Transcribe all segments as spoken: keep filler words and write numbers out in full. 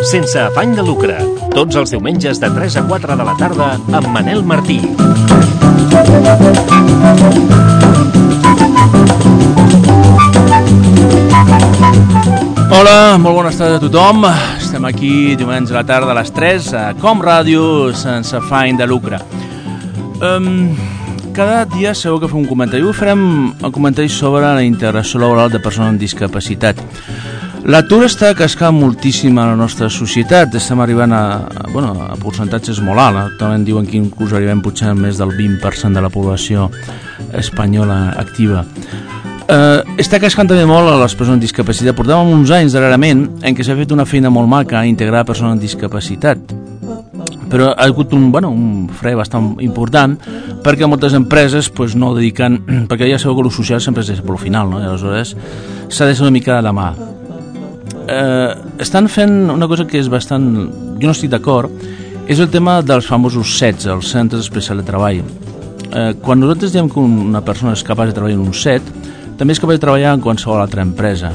Sense afany de lucre, tots els diumenges de tres a quatre de la tarda amb Manel Martí. Hola, molt bones tardes a tothom. Estem aquí diumenge a la tarda a les tres a Com Ràdio, sense afany de lucre. Um, cada dia segur que fem un comentari. Avui farem un comentari sobre la integració laboral de persones amb discapacitat. L'atur està cascant moltíssim a la nostra societat. Estem arribant a, a, bueno, a percentatges molt alts. Actualment diuen que inclús arribem potser a més del vint per cent de la població espanyola activa. Eh, està cascant també molt a les persones amb discapacitat. Portàvem uns anys darrerament en què s'ha fet una feina molt maca a integrar persones amb discapacitat, però ha hagut un, bueno, un fre bastant important perquè moltes empreses pues, no dediquen, perquè ja sabeu que el social sempre és pel final, no? I aleshores s'ha de ser una mica de la mà. Eh, estan fent una cosa que és bastant, jo no estic d'acord, és el tema dels famosos C E Ts, els centres especials de treball. Eh, quan nosaltres diem que una persona és capaç de treballar en un C E T, també és capaç de treballar en qualsevol altra empresa,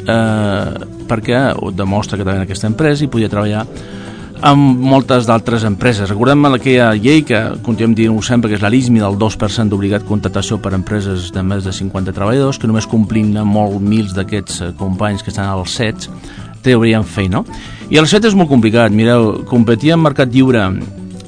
eh, perquè ho demostra que treballa en aquesta empresa i podria treballar amb moltes d'altres empreses. Recordem aquella llei que continuem dient-ho sempre, que és la LISMI del dos per cent d'obligat contractació per empreses de més de cinquanta treballadors, que només complint molt mils d'aquests companys que estan als C E Ts traurien feina, no? I el C E T és molt complicat. Mireu, competir en mercat lliure,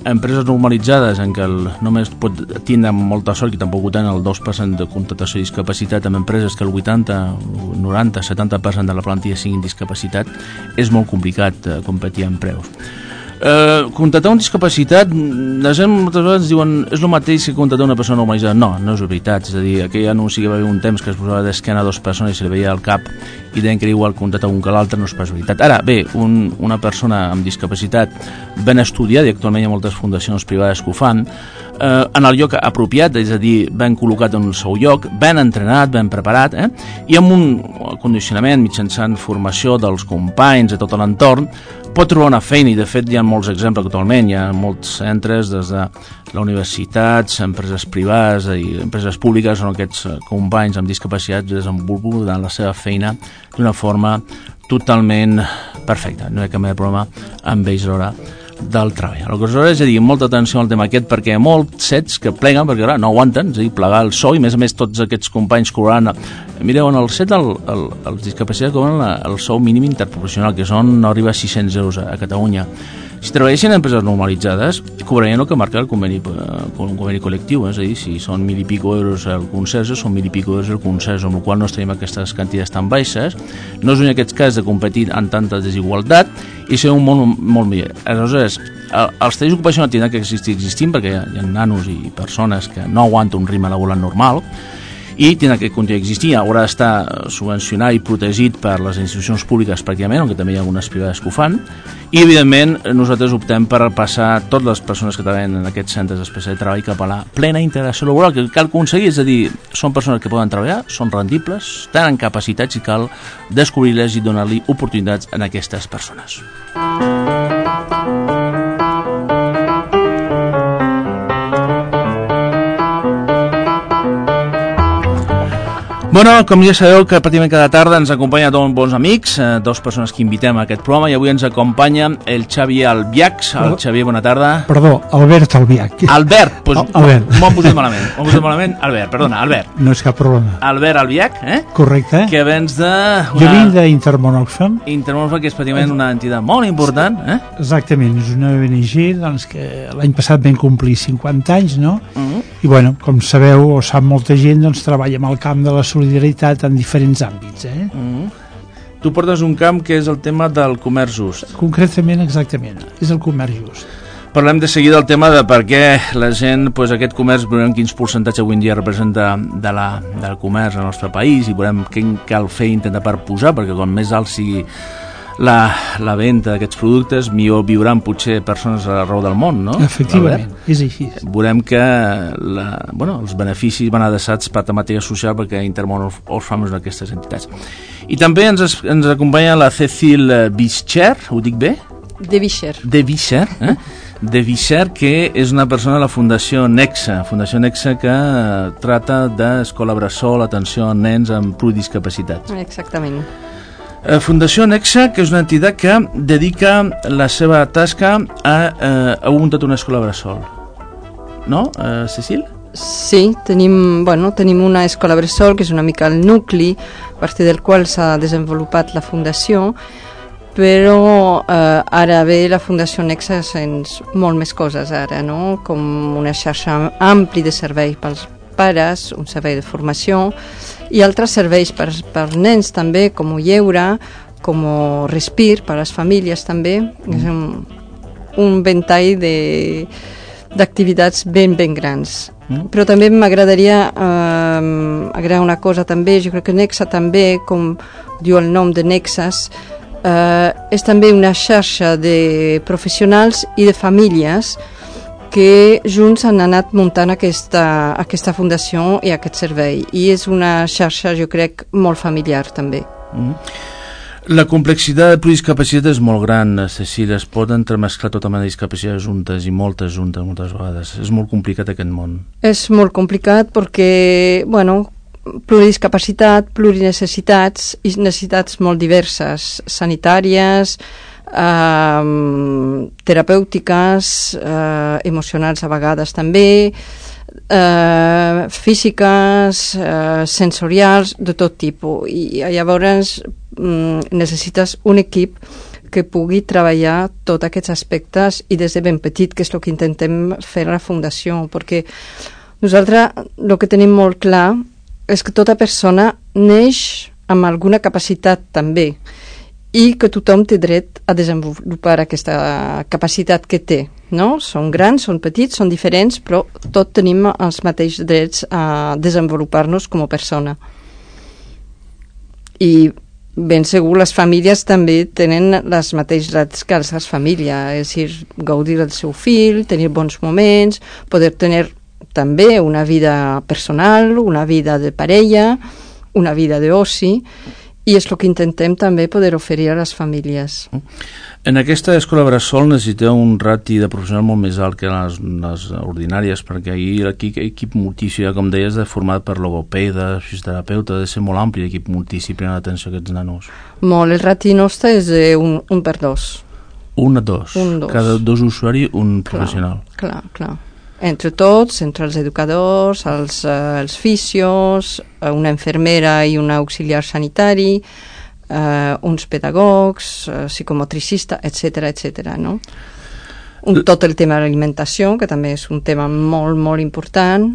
empreses normalitzades en què el, només pot tindre molta sort, i tampoc ho tenen, el dos per cent de contractació i discapacitat, amb empreses que el vuitanta, noranta, setanta per cent de la plantilla siguin discapacitat, és molt complicat eh, competir en preus. Eh, contractar un discapacitat, la gent moltes vegades diuen és el mateix que contractar una persona normalitzada. No, no és veritat. És a dir, aquell anunci que va haver un temps que es posava d'esquena a dues persones i se li veia el cap i deien que era igual contractar un que l'altre, no és pas veritat. Ara, bé, un, una persona amb discapacitat ben estudiada, i actualment hi ha moltes fundacions privades que ho fan, eh, en el lloc apropiat, és a dir, ben col·locat en el seu lloc, ben entrenat, ben preparat, eh? I amb un condicionament mitjançant formació dels companys de tot l'entorn, pot trobar una feina, i de fet hi ha molts exemples actualment. Hi ha molts centres des de la universitat, empreses privades i empreses públiques on aquests companys amb discapacitats desenvolupen la seva feina d'una forma totalment perfecta. No hi ha cap mena de problema amb ells a l'hora del treball. Aleshores, ja diguem, molta atenció al tema aquest, perquè hi ha molts C E Ts que pleguen perquè clar, no aguanten, és a dir, plegar el sou, i a més a més tots aquests companys cobraran. Mireu, en el C E T el, el, els discapacitats cobren el sou mínim interprofessional, que són, no arriba a sis-cents euros a, a Catalunya. Si treballessin en empreses normalitzades, cobrarien el que marca el conveni, el conveni col·lectiu, és a dir, si són mil i pico euros el concerso, són mil i pico euros el concerso, amb la qual cosa no es tenim aquestes quantitats tan baixes. No és en aquest cas de competir en tanta desigualtat i ser un món molt millor. Aleshores, els talls d'ocupació no tindran que existir existint, perquè hi ha, hi ha nanos i persones que no aguanten un ritme laboral normal, i tindrà que continuar existint. Haurà d'estar subvencionat i protegit per les institucions públiques pràcticament, aunque també hi ha algunes privades que ho fan, i evidentment nosaltres optem per passar totes les persones que treballen en aquests centres especials de treball cap a la plena integració laboral, que cal aconseguir, és a dir, són persones que poden treballar, són rendibles, tenen capacitats i cal descobrir-les i donar-li oportunitats a aquestes persones. Bueno, com ja sabeu que pràcticament cada tarda ens acompanya dos bons amics, eh, dos persones que invitem a aquest programa, i avui ens acompanya el Xavier Albiacs. El Xavier, bona tarda. Perdó, Albert Albiach. Albert, doncs pues, Albert. M'ho han posat malament, m'ho han posat malament. Albert, perdona, Albert. No és cap problema. Albert Albiach, eh? Correcte. Que vens de... Una... Jo vinc d'Intermón Oxfam. Intermón Oxfam, que és pràcticament una entitat molt important, eh? Exactament, és una O N G doncs, que l'any passat vam complir cinquanta anys, no? Uh-huh. I bueno, com sabeu, o sap molta gent, doncs treballa amb el camp de la solidaritat en diferents àmbits, eh? Uh-huh. Tu portes un camp que és el tema del comerç just. Concretament, exactament, és el comerç just. Parlem de seguida del tema de per què la gent, pues, aquest comerç, veurem quins percentatges avui en dia representa de la, del comerç al nostre país, i veurem què cal fer i intentar per posar, perquè com més alt sigui la, la venda d'aquests productes, millor viuran potser persones arreu del món, no? Efectivament, és així. Veurem que la, bueno, els beneficis van adreçats per temàtica social perquè Intermón Oxfam és una d'aquestes entitats. I també ens, ens acompanya la Cecil Vischer, ho dic bé? De Vischer. De Vischer, eh? De Vischer, que és una persona de la Fundació Nexa, Fundació Nexa que trata d'escola bressol, atenció a nens amb pluridiscapacitats. Exactament. Fundació Nexa, que és una entitat que dedica la seva tasca a, eh, a muntar una escola bressol. No, eh, Cecil? Sí, tenim, bueno, tenim una escola bressol que és una mica el nucli a partir del qual s'ha desenvolupat la fundació, però eh, ara ve la Fundació Nexa sens molt més coses ara, no? Com una xarxa ampli de serveis pels pares, un servei de formació i altres serveis per, per nens també, com lleure, com respir per a les famílies també. Mm. És un, un ventall de, d'activitats ben, ben grans. Mm. Però també m'agradaria eh, agregar una cosa també, jo crec que Nexa també, com diu el nom de Nexas, eh, és també una xarxa de professionals i de famílies que junts han anat muntant aquesta, aquesta fundació i aquest servei. I és una xarxa, jo crec, molt familiar també. Mm. La complexitat de pluridiscapacitat és molt gran, Cecília, es pot entremesclar tota mena de discapacitats juntes i moltes juntes moltes vegades. És molt complicat aquest món. És molt complicat perquè, bueno, pluridiscapacitat, plurinecessitats i necessitats molt diverses, sanitàries, eh, terapèutiques, eh, emocionals a vegades també, eh, físiques, eh, sensorials, de tot tipus. I llavors mm, necessites un equip que pugui treballar tots aquests aspectes i des de ben petit, que és el que intentem fer a la Fundació, perquè nosaltres el que tenim molt clar és que tota persona neix amb alguna capacitat també i que tothom té dret a desenvolupar aquesta capacitat que té, no? Són grans, són petits, són diferents, però tots tenim els mateixos drets a desenvolupar-nos com a persona. I ben segur les famílies també tenen les mateixes drets que les famílies, és a dir, gaudir del seu fill, tenir bons moments, poder tenir també una vida personal, una vida de parella, una vida d'oci, i és el que intentem també poder oferir a les famílies. En aquesta escola bressol necessiteu un rati de professional molt més alt que les, les ordinàries, perquè ahir l'equip equip multidisciplinari, com deies, de format per logopeda, fisioterapeuta, ha de ser molt ampli l'equip multidisciplinari d'atenció a aquests nanos. Molt, el rati nostre és un, un per dos. Un a dos. Un, dos. Cada dos usuaris, un professional. Clar, clar, clar. Entre tots, entre els educadors, els, eh, els fisios, una infermera i un auxiliar sanitari, eh, uns pedagogs, eh, psicomotricista, etcètera, etcètera, no? Un, tot el tema de l'alimentació, que també és un tema molt, molt important.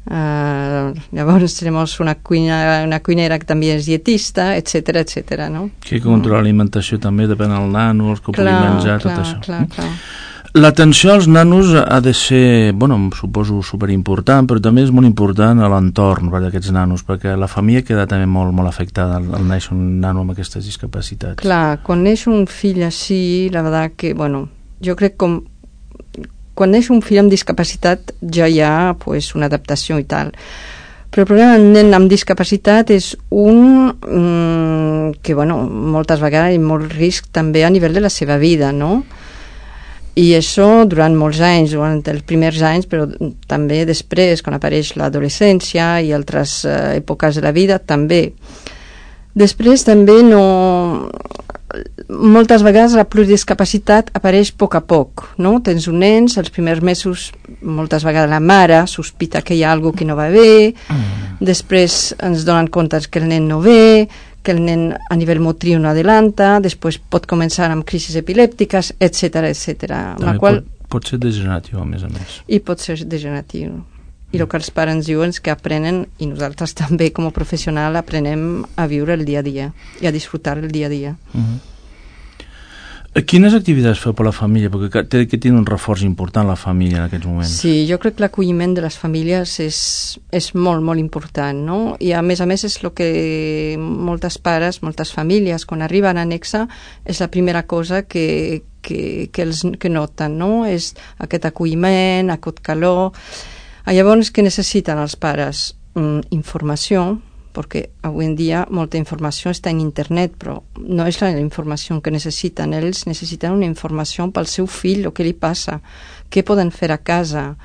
Eh, llavors tenim una, cuina, una cuinera que també és dietista, etcètera, etcètera, no? Que controla l'alimentació també, depèn del nano, els que pugui menjar, clar, tot això. Clar, clar. L'atenció als nanos ha de ser, bueno, suposo superimportant, però també és molt important a l'entorn d'aquests nanos, perquè la família queda també molt, molt afectada al, al néixer un nano amb aquestes discapacitats. Clar, quan neix un fill així, la veritat que, bueno, jo crec com quan neix un fill amb discapacitat ja hi ha pues, una adaptació i tal. Però el problema del nen amb discapacitat és un mm, que, bueno, moltes vegades hi ha molt risc també a nivell de la seva vida, no? I això durant molts anys, durant els primers anys, però també després, quan apareix l'adolescència i altres eh, èpoques de la vida, també. Després també no... Moltes vegades la pluridiscapacitat apareix a poc a poc, no? Tens un nen, els primers mesos, moltes vegades la mare sospita que hi ha alguna que no va bé, mm. després ens donen compte que el nen no ve, que el nen a nivell motriu no adelanta, després pot començar amb crisis epilèptiques, etcètera, etcètera. També qual... pot, pot ser degeneratiu, a més a més. I pot ser degeneratiu. I el que els pares diuen és que aprenen, i nosaltres també com a professional aprenem a viure el dia a dia i a disfrutar el dia a dia. Uh-huh. Quines activitats feu per la família? Perquè té, que té un reforç important la família en aquests moments. Sí, jo crec que l'acolliment de les famílies és, és molt, molt important, no? I a més a més és el que moltes pares, moltes famílies, quan arriben a Nexe, és la primera cosa que, que, que, els, que noten, no? És aquest acolliment, aquest calor. Llavors, què necessiten els pares? Mm, informació, perquè avui en dia molta informació està en internet, però no és la informació que necessiten. Ells necessiten una informació pel seu fill, el que li passa, què poden fer a casa,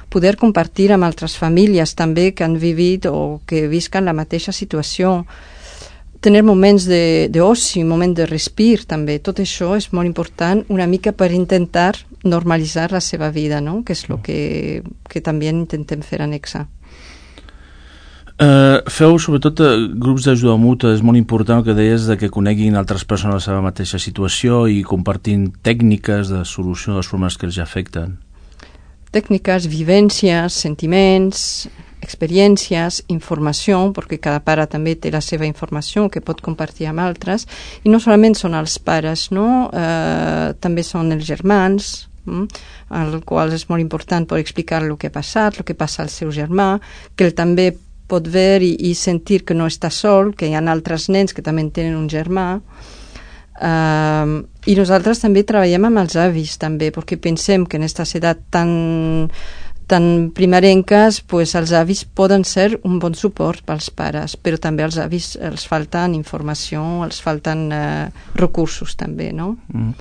poder compartir amb altres famílies també que han vivit o que visquen la mateixa situació, tenir moments d'oci, moments de respir també. Tot això és molt important, una mica per intentar normalitzar la seva vida, no? Que és el que, que també intentem fer a Nexe. Uh, feu sobretot uh, grups d'ajuda mútua. És molt important el que deies de que coneguin altres persones la seva mateixa situació i compartint tècniques de solució dels problemes que els afecten. Tècniques, vivències, sentiments, experiències, informació, perquè cada pare també té la seva informació que pot compartir amb altres, i no solament són els pares, no? Uh, també són els germans, mm? al qual és molt important per explicar el que ha passat, el que passa al seu germà, que ell també pot veure i, i sentir que no està sol, que hi ha altres nens que també tenen un germà. Uh, I nosaltres també treballem amb els avis, també, perquè pensem que en aquestes edats tan, tan primerenques, pues, els avis poden ser un bon suport pels pares, però també als avis els falten informació, els falten uh, recursos també, no? Mm.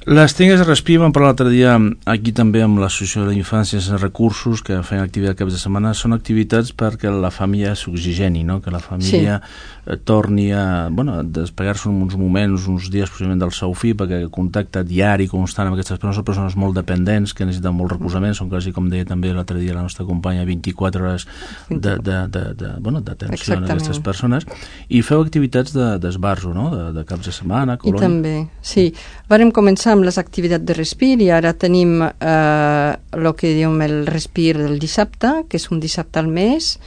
Les tècniques de respir, vam parlar l'altre dia aquí també amb l'Associació de la Infància sense recursos, que feien activitat caps de setmana. Són activitats perquè la família s'oxigeni, no? Que la família sí. torni a, bueno, a despegar-se uns moments, uns dies possiblement del seu fill, perquè el contacte diari, constant amb aquestes persones, són persones molt dependents, que necessiten molt recolzament, són quasi, com deia també l'altre dia la nostra companya, vint-i-quatre hores de, de, de, de, bueno, d'atenció a aquestes persones, i feu activitats d'esbarzo, no? De, de caps de setmana, colònia. I també, sí. Vàrem començar amb les activitats de respir i ara tenim eh, el que diem el respir del dissabte, que és un dissabte al mes.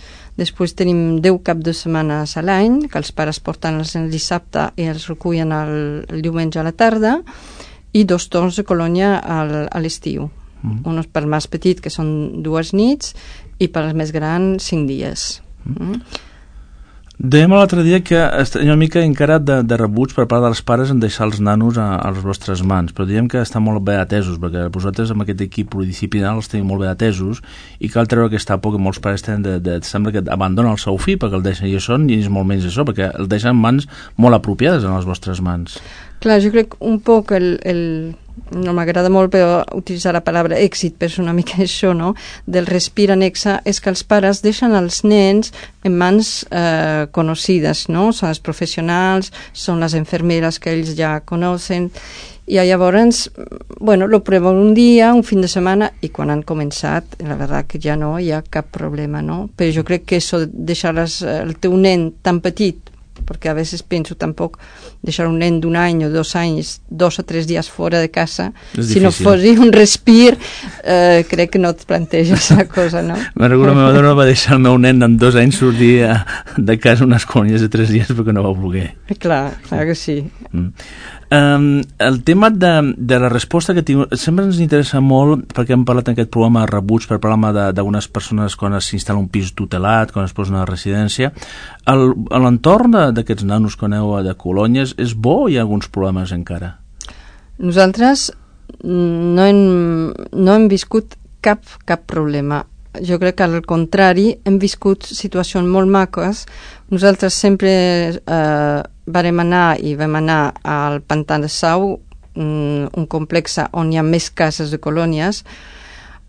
Després tenim deu cap de setmanes a l'any, que els pares porten els el dissabte i els recullen el, el diumenge a la tarda, i dos torns de colònia al, a l'estiu. Mm. Un pel més petit, que són dues nits, i pel més gran, cinc dies. Mm. Mm. Dèiem l'altre dia que hi ha una mica encara de, de rebuig per part dels pares en deixar els nanos a, a les vostres mans, però diem que estan molt bé atesos, perquè vosaltres amb aquest equip pluridisciplinari els teniu molt bé atesos, i cal treure aquesta por que molts pares tenen de, de, sembla que abandonen el seu fill perquè el deixen, i això ni és molt menys això, perquè el deixen en mans molt apropiades en les vostres mans. Clar, jo crec un poc el... el... no m'agrada molt però utilitzar la paraula èxit, però és una mica això, no? Del respir a Nexe, és que els pares deixen els nens en mans eh, conocides, no? Són els professionals, són les infermeres que ells ja coneixen, i llavors, bueno, lo proven un dia, un fin de setmana, i quan han començat, la veritat que ja no hi ha cap problema, no? Però jo crec que això de deixar el teu nen tan petit, perquè a vegades penso tampoc deixar un nen d'un any o dos anys, dos o tres dies fora de casa, si no fos un respir, eh, crec que no et planteges la cosa, no? Me recordo, la meva dona va deixar el meu nen amb dos anys sortir de casa unes colònies de tres dies perquè no va voler. Clar, clar que sí. Mm. Um, el tema de, de la resposta que tinc, sempre ens interessa molt, perquè hem parlat en aquest programa de rebuig per parlar d'unes persones quan s'instal·la un pis tutelat, quan es posa una residència. L'entorn d'aquests nanos que aneu de colònies és bo o hi ha alguns problemes encara? Nosaltres no hem, no hem viscut cap, cap problema. Jo crec que al contrari hem viscut situacions molt maques. Nosaltres sempre eh, vam anar i vam anar al Pantà de Sau, un complex on hi ha més cases de colònies.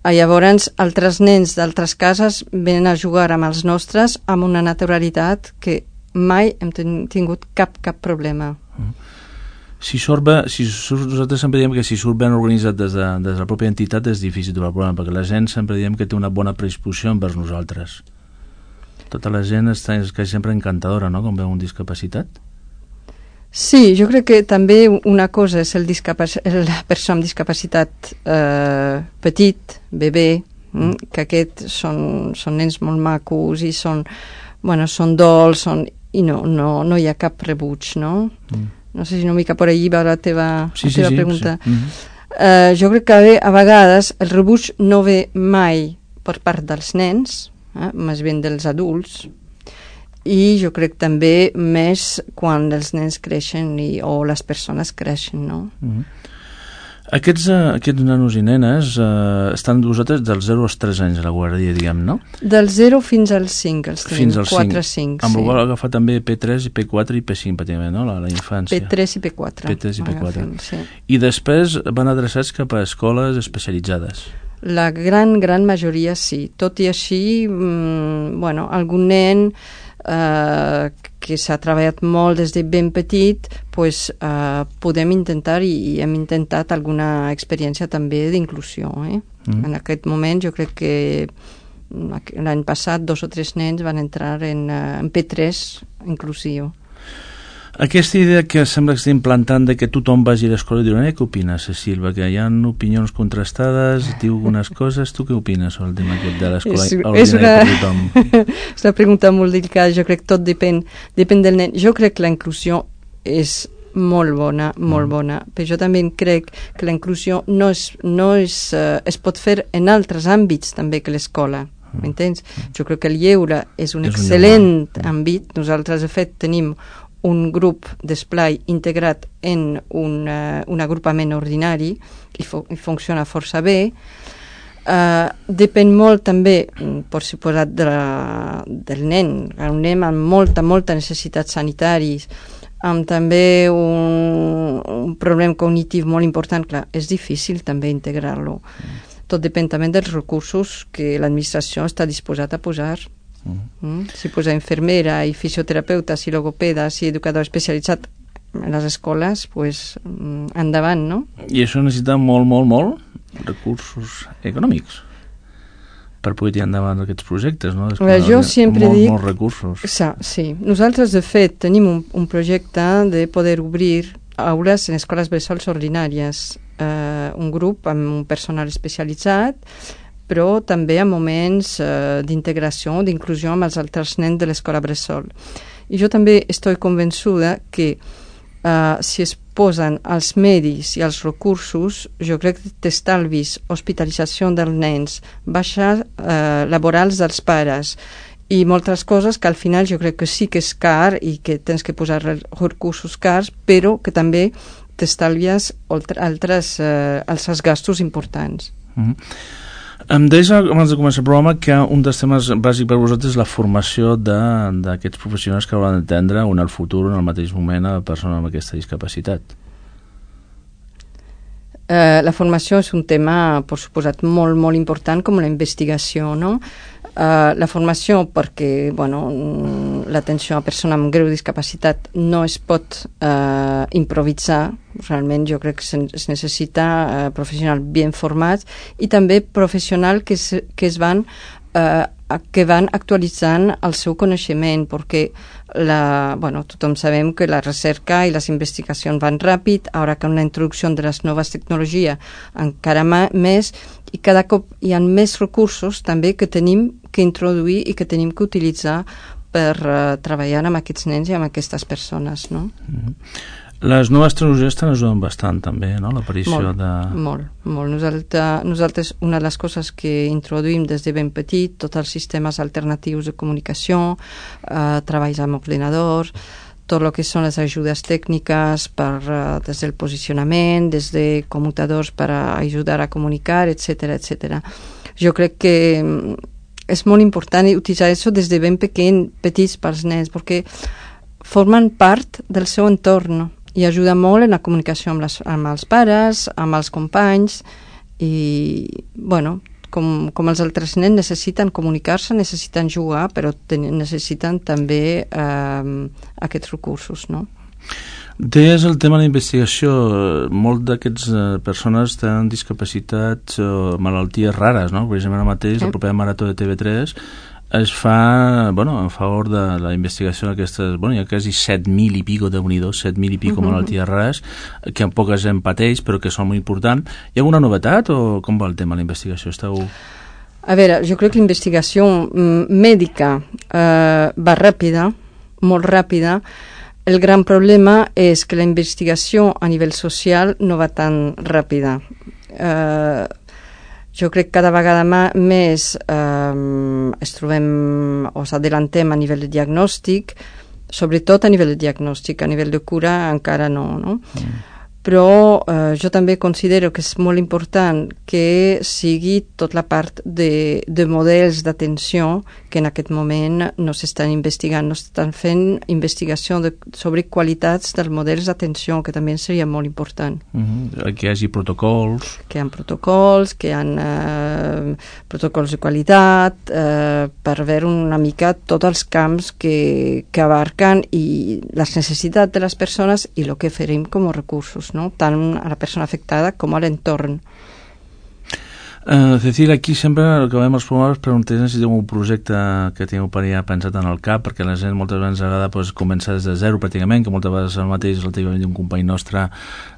Llavors, altres nens d'altres cases venen a jugar amb els nostres amb una naturalitat que mai hem tingut cap, cap problema. Mm. Si surt bé, si surt, nosaltres sempre diem que si surt ben organitzat des de, des de la pròpia entitat és difícil trobar el problema, perquè la gent sempre diem que té una bona predisposició envers nosaltres. Tota la gent està és que sempre encantadora, no?, quan veu un discapacitat. Sí, jo crec que també una cosa és el discapac- la persona amb discapacitat eh, petit, bebè, mm, que aquests són, són nens molt macos i són, bueno, són dolç, són, i no, no, no hi ha cap rebuig, no? Mm. No sé si una mica per allí va la teva, sí, la teva sí, pregunta. Sí. Mm-hmm. Uh, jo crec que a vegades el rebuig no ve mai per part dels nens, eh, més ben dels adults, i jo crec també més quan els nens creixen i, o les persones creixen, no? Mm-hmm. Aquests, uh, aquests nanos i nenes uh, estan vosaltres dels zero als tres anys a la guàrdia, diguem, no? Del zero fins als cinc, els tenim, fins als quatre cinc. Amb sí. el qual agafar també P tres i P quatre i P cinc, pràcticament, no? La, la infància. P tres i P quatre. P tres i P quatre. Agafem, sí. I després van adreçats cap a escoles especialitzades. La gran, gran majoria sí. Tot i així, mmm, bueno, algun nen eh, que s'ha treballat molt des de ben petit, pues, eh, podem intentar i, i hem intentat alguna experiència també d'inclusió. Eh? Mm. En aquest moment jo crec que l'any passat dos o tres nens van entrar en, en P tres inclusiu. Aquesta idea que sembla que està implantant de que tothom vagi a l'escola i diuen, eh, què opines, Cecil? Perquè hi ha opinions contrastades, diu algunes coses. Tu què opines sobre el tema aquest de l'escola ordinària per tothom? És una pregunta molt delicada. Jo crec que tot depèn, depèn del nen. Jo crec que la inclusió és molt bona, molt bona, però jo també crec que la inclusió no, és, no és, uh, es pot fer en altres àmbits també que l'escola. M'entens? Jo crec que el lleure és un és excel·lent un àmbit. Nosaltres, de fet, tenim un grup d'esplai integrat en un, uh, un agrupament ordinari i, fu i funciona força bé. Uh, depèn molt també, per suposat, de la, del nen. Un nen amb molta, molta necessitat sanitaris, amb també un, un problema cognitiu molt important. Clar, és difícil també integrar-lo. Mm. Tot depèn també dels recursos que l'administració està disposada a posar. Mm. Mm? Si posa infermera i fisioterapeuta, si logopeda, si educador especialitzat en les escoles, pues, endavant, no? I això necessita molt, molt, molt recursos econòmics per poder tirar endavant aquests projectes, no? Veure, jo sempre molt, dic... Molts recursos. Sa, sí. Nosaltres, de fet, tenim un, un projecte de poder obrir aules en escoles bressols ordinàries, eh, un grup amb un personal especialitzat, però també en moments eh, d'integració, d'inclusió amb els altres nens de l'escola bressol. I jo també estic convençuda que eh, si es posen els medis i els recursos, jo crec que t'estalvis hospitalització dels nens, baixes eh, laborals dels pares i moltes coses que al final jo crec que sí que és car i que tens que posar recursos cars, però que també t'estalvies altres, eh, altres gastos importants. Mm-hmm. Em deies abans de començar el programa que un dels temes bàsics per vosaltres és la formació d'aquests professionals que hauran d'atendre en el futur, en el mateix moment, a persones amb aquesta discapacitat. Uh, la formació és un tema, per suposat, molt, molt important, com la investigació, no? Uh, la formació perquè, bueno, l'atenció a persona amb greu discapacitat no es pot uh, improvisar. Realment jo crec que se, es necessita uh, professionals ben formats i també professionals que, se, que es van uh, que van actualitzant el seu coneixement, perquè la, bueno, tothom sabem que la recerca i les investigacions van ràpid, ara que amb la introducció de les noves tecnologies encara més, i cada cop hi ha més recursos també que tenim que introduir i que tenim que utilitzar per uh, treballar amb aquests nens i amb aquestes persones, no? Mm-hmm. Les noves tecnologies estan ajudant bastant també, no? L'aparició molt, de... Molt, molt. Nosaltres, nosaltres, una de les coses que introduïm des de ben petit, tots els sistemes alternatius de comunicació, eh, treballs amb ordinadors, tot el que són les ajudes tècniques per, uh, des del posicionament, des de commutadors per a ajudar a comunicar, etcètera, etcètera. Jo crec que és molt important utilitzar això des de ben pequeñ, petits pels nens, perquè formen part del seu entorn i ajuda molt en la comunicació amb, les, amb els pares, amb els companys i, bueno, com, com els altres nens necessiten comunicar-se, necessiten jugar, però ten, necessiten també eh, aquests recursos, no? Deies el tema de la investigació. Molt d'aquests eh, persones tenen discapacitats o malalties rares, no? Per exemple, ara mateix, la propera marató de T V tres es fa, bueno, en favor de la investigació d'aquestes, bueno, hi ha quasi set mil i pico de unidos, set mil i pico uh-huh. malalties rares, que en poques en pateix, però que són molt importants. Hi ha alguna novetat o com va el tema de la investigació? Esteu... A veure, jo crec que la investigació mèdica eh, va ràpida, molt ràpida. el gran problema és que la investigació a nivell social no va tan ràpida. Eh, jo crec que cada vegada més eh, es trobem o s'adelantem a nivell de diagnòstic, sobretot a nivell de diagnòstic, a nivell de cura encara no, no? Mm. Però eh, jo també considero que és molt important que sigui tot la part de, de models d'atenció que en aquest moment no s'estan investigant, no s'estan fent investigació de, sobre qualitats dels models d'atenció, que també seria molt important. Mm-hmm. Que hi hagi protocols. Que hi ha protocols, que hi ha eh, protocols de qualitat, eh, per veure una mica tots els camps que, que abarquen i les necessitats de les persones i el que farem com a recursos, no? Tant a la persona afectada com a l'entorn. Uh, Cecília, aquí sempre acabem els programes preguntant si teniu un projecte que teniu per allà pensat en el cap, perquè la gent moltes vegades agrada pues, començar des de zero pràcticament, que moltes vegades el mateix el tenia un company nostre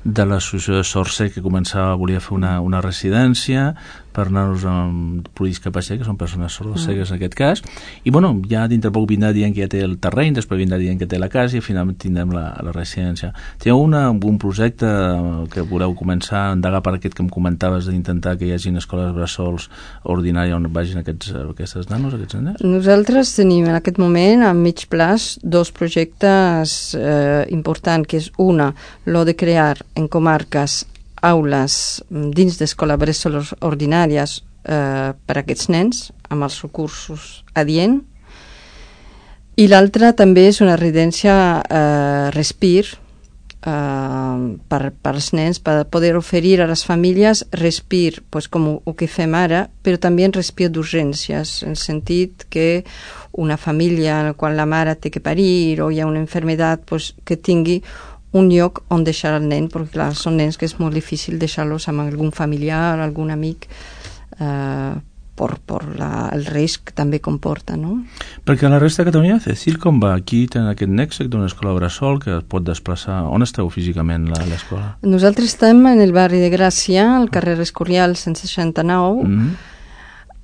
de l'associació de Sorce que començava, volia fer una, una residència per nanos amb discapacitat, que són persones sordocegues en aquest cas, i bueno, ja dintre poc vindrà dient que ja té el terreny, després vindrà dient que té la casa i finalment tindrem la, la residència. Teniu una, un projecte que voleu començar a endegar per aquest que em comentaves d'intentar que hi hagi escoles bressols ordinàries on vagin aquests, aquestes nanos, aquests nens? Nosaltres tenim en aquest moment a mig plaç dos projectes eh, importants, que és una, lo de crear en comarques aules dins d'escoles bressol ordinàries eh, per a aquests nens amb els recursos adient, i l'altra també és una residència eh, Respir eh, per, per als nens, per poder oferir a les famílies Respir, pues, com el que fem ara, però també en Respir d'urgències, en el sentit que una família en la qual la mare té que parir o hi ha una malaltia, pues, que tingui un lloc on deixar el nen, perquè clar, són nens que és molt difícil deixar-los amb algun familiar, algun amic, eh, per, per la, el risc que també comporta, no? Perquè la resta de Catalunya, Cecil, com va? Aquí tenen aquest nèxec d'una escola bressol que es pot desplaçar. On esteu físicament, l'escola? Nosaltres estem en el barri de Gràcia, al carrer Escorial cent seixanta-nou, mm-hmm.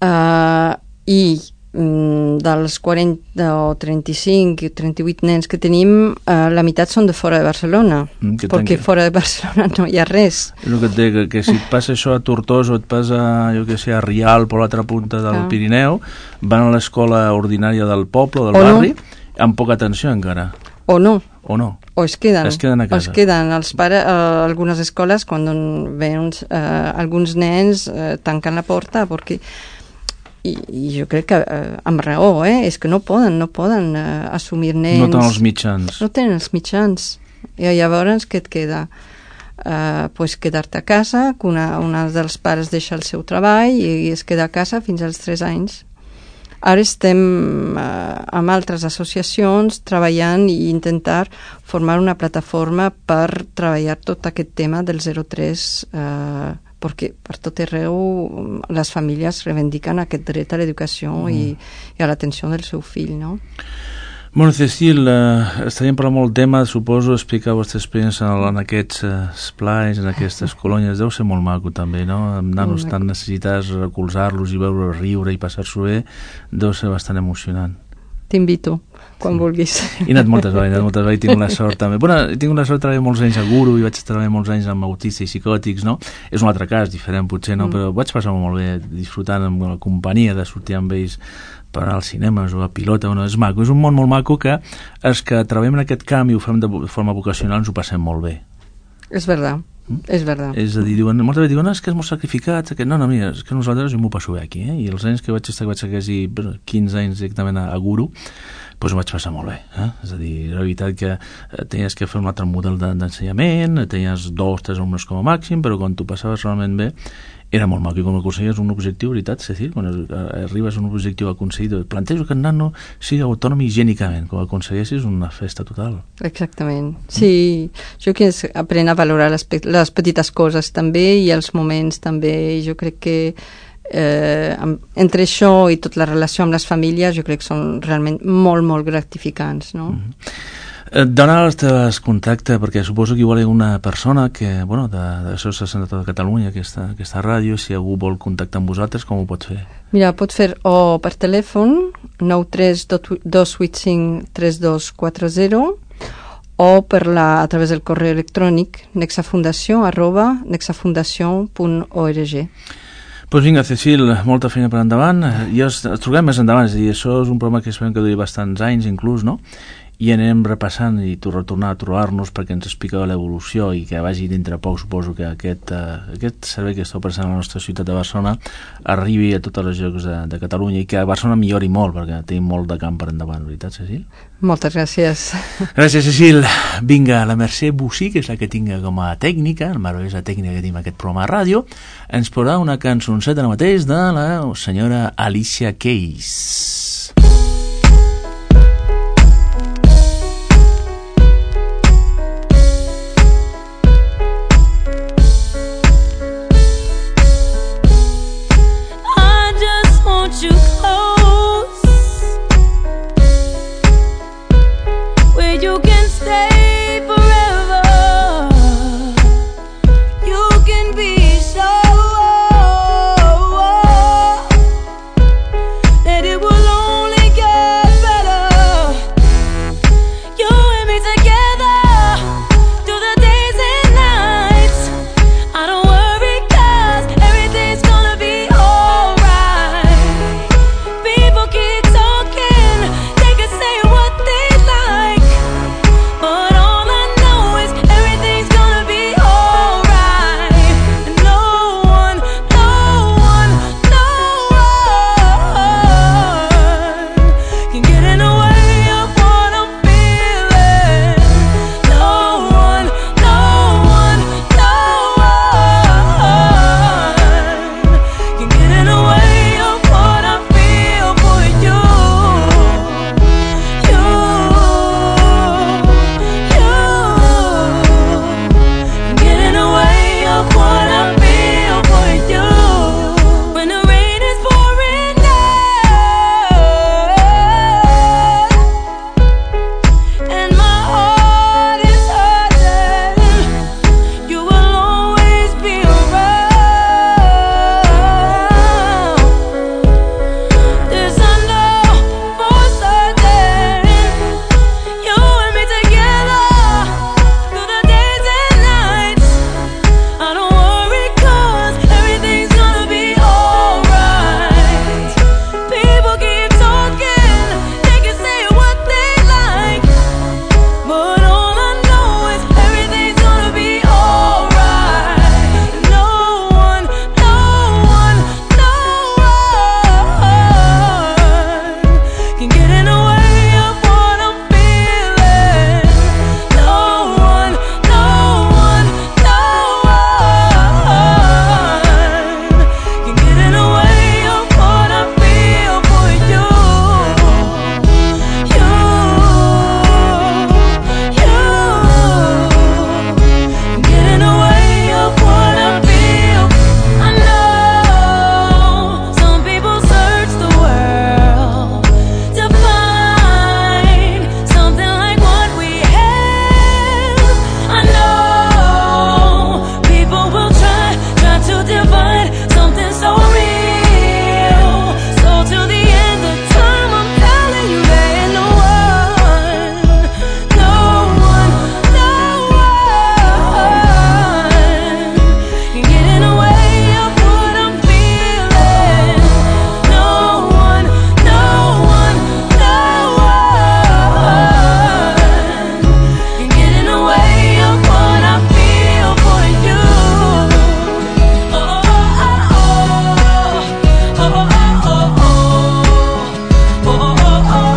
eh, i dels quaranta o trenta-cinc o trenta-vuit nens que tenim, eh, la meitat són de fora de Barcelona, mm, perquè que... fora de Barcelona no hi ha res. El que et dic, que, que si et passa això a Tortosa o et passa, jo que sé, a Rialp per l'altra punta del ah. Pirineu, van a l'escola ordinària del poble o del o barri, no. amb poca atenció encara. O no. O no. O es queden. Es queden a casa. O es queden. Els pares, eh, algunes escoles, quan ven eh, alguns nens, eh, tanquen la porta, perquè I, i jo crec que eh, amb raó, eh? És que no poden, no poden eh, assumir nens. No tenen els mitjans. No tenen els mitjans. I llavors què et queda? Eh, pues quedar-te a casa, que una, una dels pares deixa el seu treball i es queda a casa fins als tres anys. Ara estem eh, amb altres associacions treballant i intentar formar una plataforma per treballar tot aquest tema del zero tres, eh, perquè per tot arreu les famílies reivindiquen aquest dret a l'educació mm. i, i a l'atenció del seu fill, no? Bueno, Cecil, eh, estaríem parlant molt tema, suposo, explicar la vostra experiència en, en aquests eh, esplais, en aquestes colònies, deu ser molt maco també, no? Amb nanos tan necessitats, recolzar-los i veure riure i passar-s'ho bé, deu ser bastant emocionant. T'invito, quan sí. vulguis. He anat moltes vegades, moltes vegades, tinc la sort també. Bueno, tinc la sort de treballar molts anys a Guru i vaig treballar molts anys amb autistes i psicòtics, no? És un altre cas, diferent potser, no? Mm. Però vaig passar molt bé, disfrutant amb la companyia de sortir amb ells per anar al cinema, jugar a pilota, bueno, és maco, és un món molt maco que els que treballem en aquest camp i ho fem de forma vocacional ens ho passem molt bé. És verdad. Mm? És verdad. És a dir, diuen, moltes vegades diuen, no, és que és molt sacrificat, que no, no, mira, és que nosaltres jo m'ho passo bé aquí, eh? I els anys que vaig estar, que vaig estar quasi quinze anys directament a, a Guru, doncs ho vaig passar molt bé, eh? És a dir, la veritat que eh, tenies que fer un altre model d'ensenyament, tenies dos, tres alumnes com a màxim, però quan tu passaves realment bé, era molt maco, i quan aconseguies un objectiu, veritat, Cecil, quan arribes a un objectiu aconseguit, plantejo que el nano sigui autònom higiènicament, quan aconseguessis una festa total. Exactament, sí, jo que apren a valorar les, les petites coses també i els moments també, i jo crec que eh, entre això i tota la relació amb les famílies jo crec que són realment molt, molt gratificants, no? Mm-hmm. Dona els teus contactes, perquè suposo que igual hi ha una persona que, bueno, de, de l'Associació de Catalunya, aquesta, aquesta ràdio, si algú vol contactar amb vosaltres, com ho pot fer? Mira, pot fer o per telèfon nou tres dos vuit cinc tres dos quatre zero o per la, a través del correu electrònic nexafundació arroba nexafundació punt org. Doncs vinga, Cecil, molta feina per endavant. I ens trobem més endavant, és a dir, això és un programa que esperem que duri bastants anys inclús, no? I anem repassant i tornar a trobar-nos perquè ens expliqueu l'evolució i que vagi dintre poc, suposo que aquest, uh, aquest servei que esteu present a la nostra ciutat de Barcelona arribi a tots els llocs de, de Catalunya i que a Barcelona millori molt perquè tenim molt de camp per endavant, veritat, Cecil? Moltes gràcies. Gràcies, Cecil. Vinga, la Mercè Bussí, que és la que tinga com a tècnica, la meravellosa tècnica que tenim aquest programa de ràdio, ens posarà una cançonceta ara mateix de la senyora Alicia Keys. You close, where you can stay forever. You can be sure that it will only get better. You and me together through the days and nights. I don't worry 'cause everything's gonna be alright. People keep talking, they can say what they like, but all I know is everything's gonna be alright. And no one, no one, no one can get in the way of what I'm feeling. No one, no one, no one can get in the way of what I feel for you. You, you can get in the way of what I feel for you. When the rain is pouring down and my heart is hurting, you will always be around. This I know for certain. You and me together through the days and nights. I don't worry 'cause everything's gonna be alright. People keep talking, they can say what they like, but all I know is everything's gonna be alright. No one, no one, no one can get in the way of what I'm feeling. No one, no one, no one can get in the way of what I feel for you. You, you can get in the way of what I feel. I know some people search the world to find something like what we have. I know people will try, try to divide something so real. So till the end of time, I'm telling you there ain't no one, no one, no one can get in the way of what I'm feeling. No one, no one, no one can get in the way of what I feel for you. Oh, oh, oh, oh, oh, oh, oh, oh, oh, oh,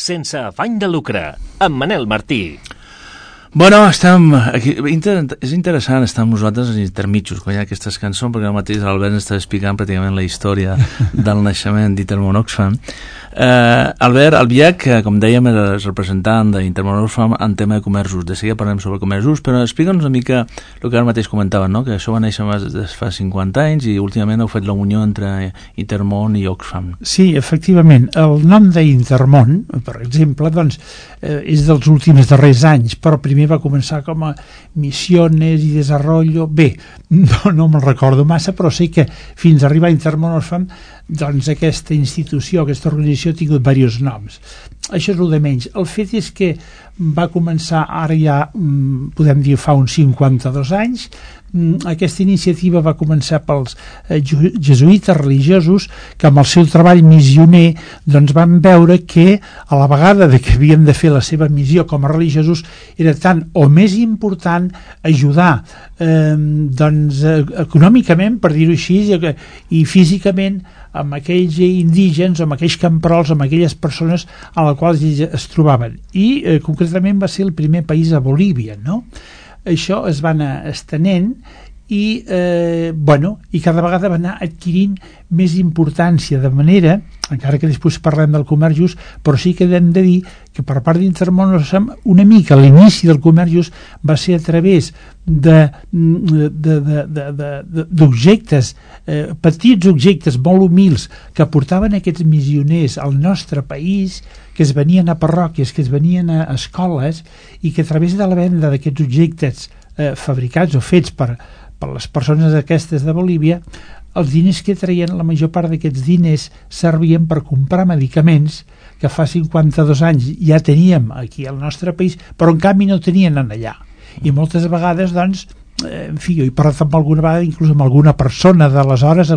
Sense afany de lucre, amb Manel Martí. Bueno, estem aquí, inter, és interessant estar amb nosaltres intermitjos quan hi ha aquestes cançons, perquè el mateix l'Albert ens està explicant pràcticament la història del naixement d'Iter Mon Oxfam. Uh, Albert Albiach, que com dèiem és representant d'Intermón Oxfam en tema de comerços. De seguida parlem sobre comerços, però explica'ns una mica el que ara mateix comentaven, no? Que això va néixer des fa cinquanta anys i últimament heu fet la unió entre Intermón i Oxfam. Sí, efectivament. El nom d'Intermón, per exemple, doncs, eh, és dels últims darrers anys, però primer va començar com a Misiones i Desarrollo. Bé, no, no me'l recordo massa, però sé que fins a arribar a Intermón Oxfam, doncs aquesta institució, aquesta organització ha tingut diversos noms. Això és el de menys. El fet és que va començar ara ja, podem dir, fa uns cinquanta-dos anys. Aquesta iniciativa va començar pels jesuïtes religiosos que amb el seu treball missioner doncs van veure que a la vegada de que havien de fer la seva missió com a religiosos era tant o més important ajudar eh, doncs, econòmicament, per dir-ho així, i físicament amb aquells indígens, amb aquells camperols, amb aquelles persones a les quals es trobaven. I eh, concretament va ser el primer país a Bolívia, no? Això es va anar estenent i, eh, bueno, i cada vegada va anar adquirint més importància, de manera, encara que després parlem del comerç just, però sí que hem de dir que per part d'Intermón una mica l'inici del comerç just va ser a través d'objectes, eh, petits objectes molt humils que portaven aquests missioners al nostre país, que es venien a parròquies, que es venien a escoles i que a través de la venda d'aquests objectes eh, fabricats o fets per, per les persones aquestes de Bolívia, els diners que traien, la major part d'aquests diners servien per comprar medicaments que fa cinquanta-dos anys ja teníem aquí al nostre país, però en canvi no tenien en allà. I moltes vegades, doncs, en fi, jo he parlat amb alguna vegada, inclús amb alguna persona d'aleshores,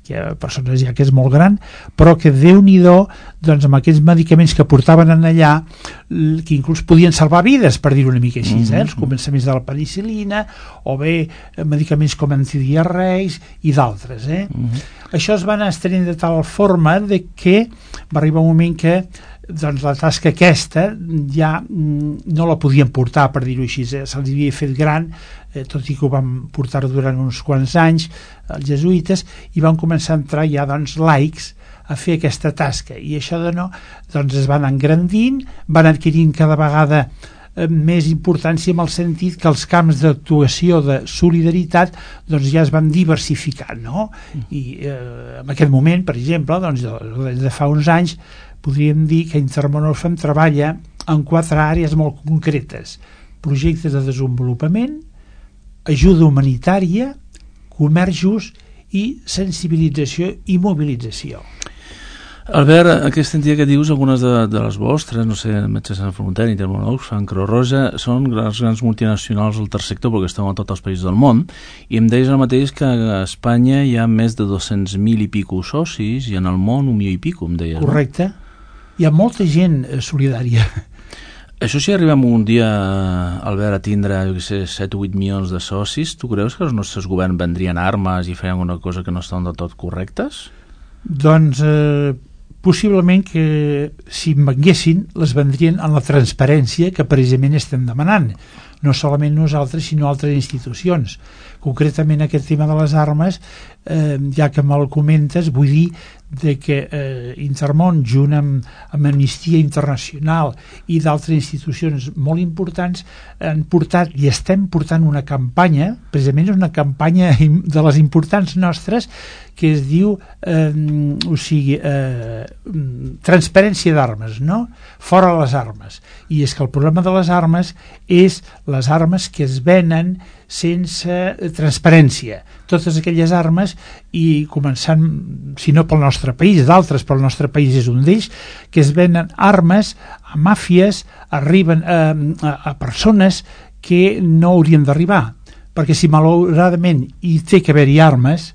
que hi ha persones ja que és molt gran, però que Déu-n'hi-do, doncs amb aquests medicaments que portaven en allà, que inclús podien salvar vides, per dir-ho una mica així, eh? Els començaments de la penicil·lina, o bé medicaments com antidiarreics i d'altres. Eh? Mm-hmm. Això es va anar estenent de tal forma de que va arribar un moment que doncs la tasca aquesta ja no la podien portar, per dir-ho així, eh? Se'ls havia fet gran, eh, tot i que ho van portar durant uns quants anys els jesuïtes, i van començar a entrar ja doncs laics a fer aquesta tasca, i això de no, doncs es van engrandint, van adquirint cada vegada eh, més importància, en el sentit que els camps d'actuació de solidaritat doncs ja es van diversificar, no? I eh, en aquest moment, per exemple, doncs de, de fa uns anys podríem dir que Intermón Oxfam treballa en quatre àrees molt concretes: projectes de desenvolupament, ajuda humanitària, comerç just i sensibilització i mobilització. Albert, aquest sentit que dius, algunes de, de les vostres, no sé, Metges Sense Fronteres, Intermón Oxfam, Creu Roja, són grans, grans multinacionals del tercer sector perquè estan a tots els països del món, i em deies el mateix que a Espanya hi ha més de dos-cents mil i pico socis i en el món un milió i pico, em deies. Correcte. No? Hi ha molta gent solidària. Això si arribem un dia, Albert, a tindre, jo què sé, set o vuit milions de socis, tu creus que els nostres governs vendrien armes i feien una cosa que no estan del tot correctes? Doncs eh, possiblement que si en venguessin les vendrien en la transparència que precisament estem demanant, no solament nosaltres sinó altres institucions. Concretament aquest tema de les armes, eh, ja que me'l comentes, vull dir de que eh, Intermón, junt amb, amb Amnistia Internacional i d'altres institucions molt importants, han portat i estem portant una campanya, precisament una campanya de les importants nostres, que es diu eh, o sigui, eh, transparència d'armes, no? Fora les armes. I és que el problema de les armes és les armes que es venen sense transparència. Totes aquelles armes, i començant, si no pel nostre país, d'altres, però el nostre país és un d'ells, que es venen armes a màfies, arriben a, a, a persones que no haurien d'arribar. Perquè si malauradament hi té que haver-hi armes,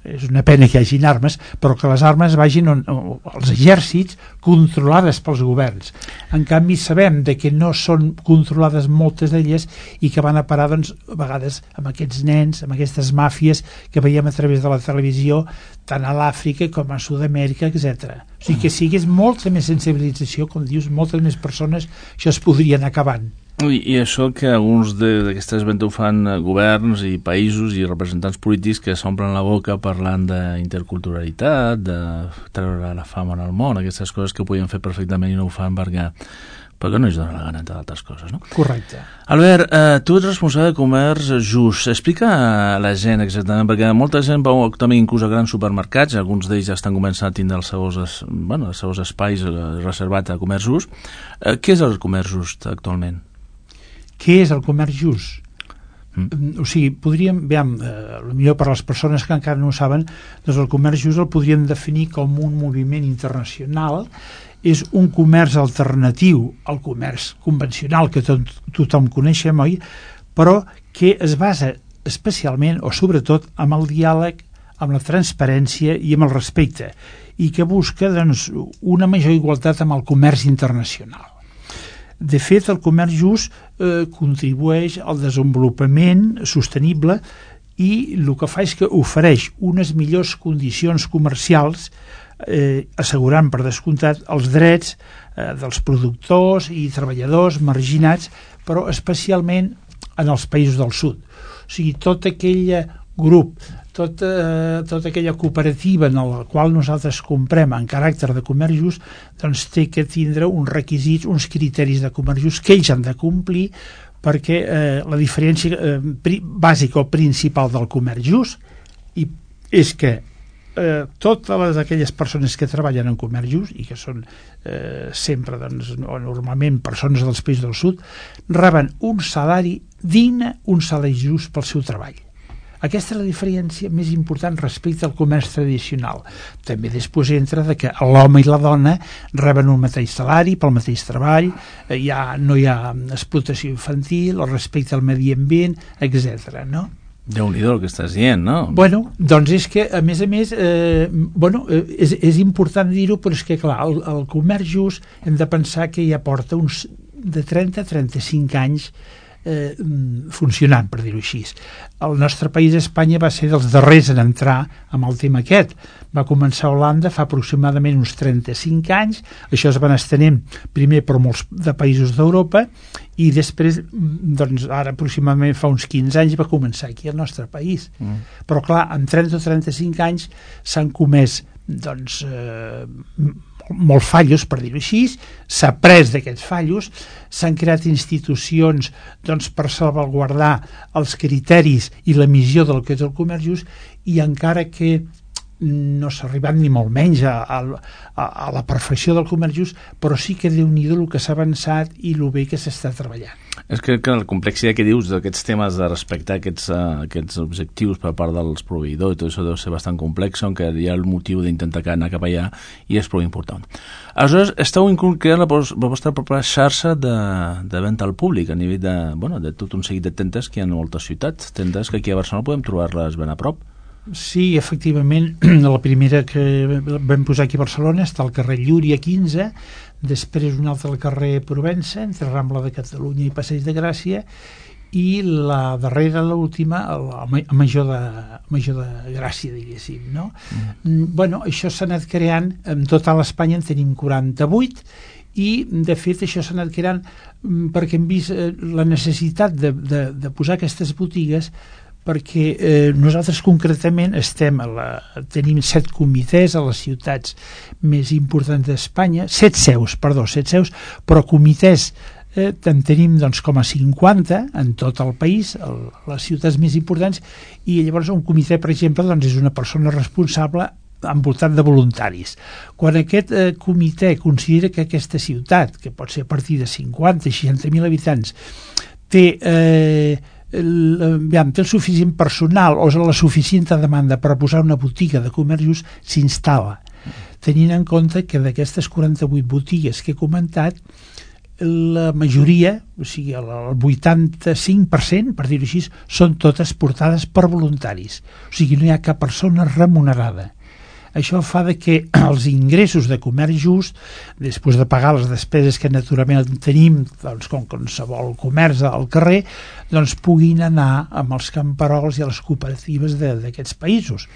és una pena que hi hagin armes, però que les armes vagin on, on, als exèrcits controlades pels governs. En canvi sabem de que no són controlades moltes d'elles i que van a parar doncs, a vegades amb aquests nens, amb aquestes màfies que veiem a través de la televisió tant a l'Àfrica com a Sud-amèrica, etcètera. O sigui que sigués molta més sensibilització, com dius, moltes més persones, això es podria anar acabant. I, i això que alguns de- d'aquestes ventes ho fan eh, governs i països i representants polítics que s'omplen la boca parlant d'interculturalitat, de treure la fama en el món, aquestes coses que ho podien fer perfectament i no ho fan perquè, perquè no es dona la gana, entre altres coses, no? Correcte. Albert, eh, tu ets responsable de comerç just. Explica a la gent exactament, perquè molta gent veu actualment inclús a grans supermercats, alguns d'ells ja estan començant a tindre els seus, es- bueno, els seus espais eh, reservats a comerç just. Eh, què és el comerç just actualment? Què és el comerç just? Mm. Mm, O sigui, podríem, veiem, eh, millor per les persones que encara no ho saben, doncs el comerç just el podríem definir com un moviment internacional, és un comerç alternatiu al comerç convencional que tot, tothom coneixem, oi? Però que es basa especialment o sobretot amb el diàleg, amb la transparència i amb el respecte, i que busca doncs, una major igualtat amb el comerç internacional. De fet, el comerç just eh, contribueix al desenvolupament sostenible i el que fa és que ofereix unes millors condicions comercials, eh, assegurant per descomptat els drets eh, dels productors i treballadors marginats, però especialment en els països del sud. O sigui, tot aquell grup, tota, tota aquella cooperativa en la qual nosaltres comprem en caràcter de comerç just, doncs té que tindre uns requisits, uns criteris de comerç just que ells han de complir, perquè eh, la diferència eh, pri, bàsica o principal del comerç just i és que eh, totes les, aquelles persones que treballen en comerç just i que són eh, sempre doncs, normalment persones dels països del sud, reben un salari digne, un salari just pel seu treball. Aquesta és la diferència més important respecte al comerç tradicional. També després entra de que l'home i la dona reben un mateix salari pel mateix treball, eh, ja no hi ha explotació infantil, el respecte al medi ambient, etcètera. No? Déu-n'hi-do el que estàs dient, no? Bueno, doncs és que, a més a més, eh, bueno, eh, és, és important dir-ho, però és que, clar, el, el comerç just hem de pensar que ja porta uns de trenta a trenta-cinc anys eh, funcionant, per dir-ho així. El nostre país, Espanya, va ser dels darrers en entrar amb el tema aquest. Va començar a Holanda fa aproximadament uns trenta-cinc anys, això es van estenent primer per molts de països d'Europa i després, doncs ara aproximadament fa uns quinze anys va començar aquí al nostre país. Mm. Però clar, en trenta o trenta-cinc anys s'han comès doncs eh, molts fallos, per dir-ho així, s'ha après d'aquests fallos, s'han creat institucions doncs, per salvaguardar els criteris i la missió del que és el comerç just, i encara que no s'ha arribat ni molt menys a, a, a la perfecció del comerç just, però sí que Déu-n'hi-do el que s'ha avançat i el bé que s'està treballant. És que, que la complexitat que dius d'aquests temes de respectar aquests, uh, aquests objectius per part dels proveïdors i tot això deu ser bastant complex, on que hi ha el motiu d'intentar anar cap allà i és prou important. Aleshores, esteu inclús creant la, la vostra pròpia xarxa de, de venda al públic a nivell de, bueno, de tot un seguit de tendes que hi ha en moltes ciutats, tendes que aquí a Barcelona podem trobar-les ben a prop. Sí, efectivament, la primera que vam posar aquí a Barcelona està al carrer Llúria quinze, després una altra al carrer Provença, entre Rambla de Catalunya i Passeig de Gràcia, i la darrera, l'última, a Major de, Major de Gràcia, diguéssim, no? Mm. Bueno, això s'ha anat creant, en total a Espanya en tenim quaranta-vuit, i de fet això s'ha anat creant perquè hem vist la necessitat de, de, de posar aquestes botigues, perquè eh, nosaltres concretament estem a la, tenim set comitès a les ciutats més importants d'Espanya, set seus, perdó, set seus, però comitès eh, en tenim doncs, com a cinquanta en tot el país, el, les ciutats més importants, i llavors un comitè, per exemple, doncs, és una persona responsable envoltat de voluntaris. Quan aquest eh, comitè considera que aquesta ciutat, que pot ser a partir de cinquanta o seixanta mil habitants, té... Eh, El, aviam, té el suficient personal o la suficient demanda per posar una botiga de comerç just, s'instal·la, tenint en compte que d'aquestes quaranta-vuit botigues que he comentat, la majoria, o sigui el vuitanta-cinc per cent, per dir-ho així, són totes portades per voluntaris, o sigui no hi ha cap persona remunerada. Això fa de que els ingressos de comerç just, després de pagar les despeses que naturalment tenim, doncs, com qualsevol comerç al carrer, doncs puguin anar amb els camperols i a les cooperatives d'aquests països,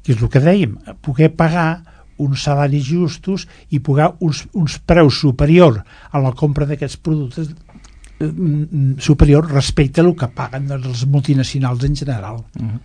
que és el que dèiem, poder pagar uns salaris justos i pagar uns, uns preus superiors a la compra d'aquests productes eh, superior respecte a el que paguen doncs, els multinacionals en general. Uh-huh.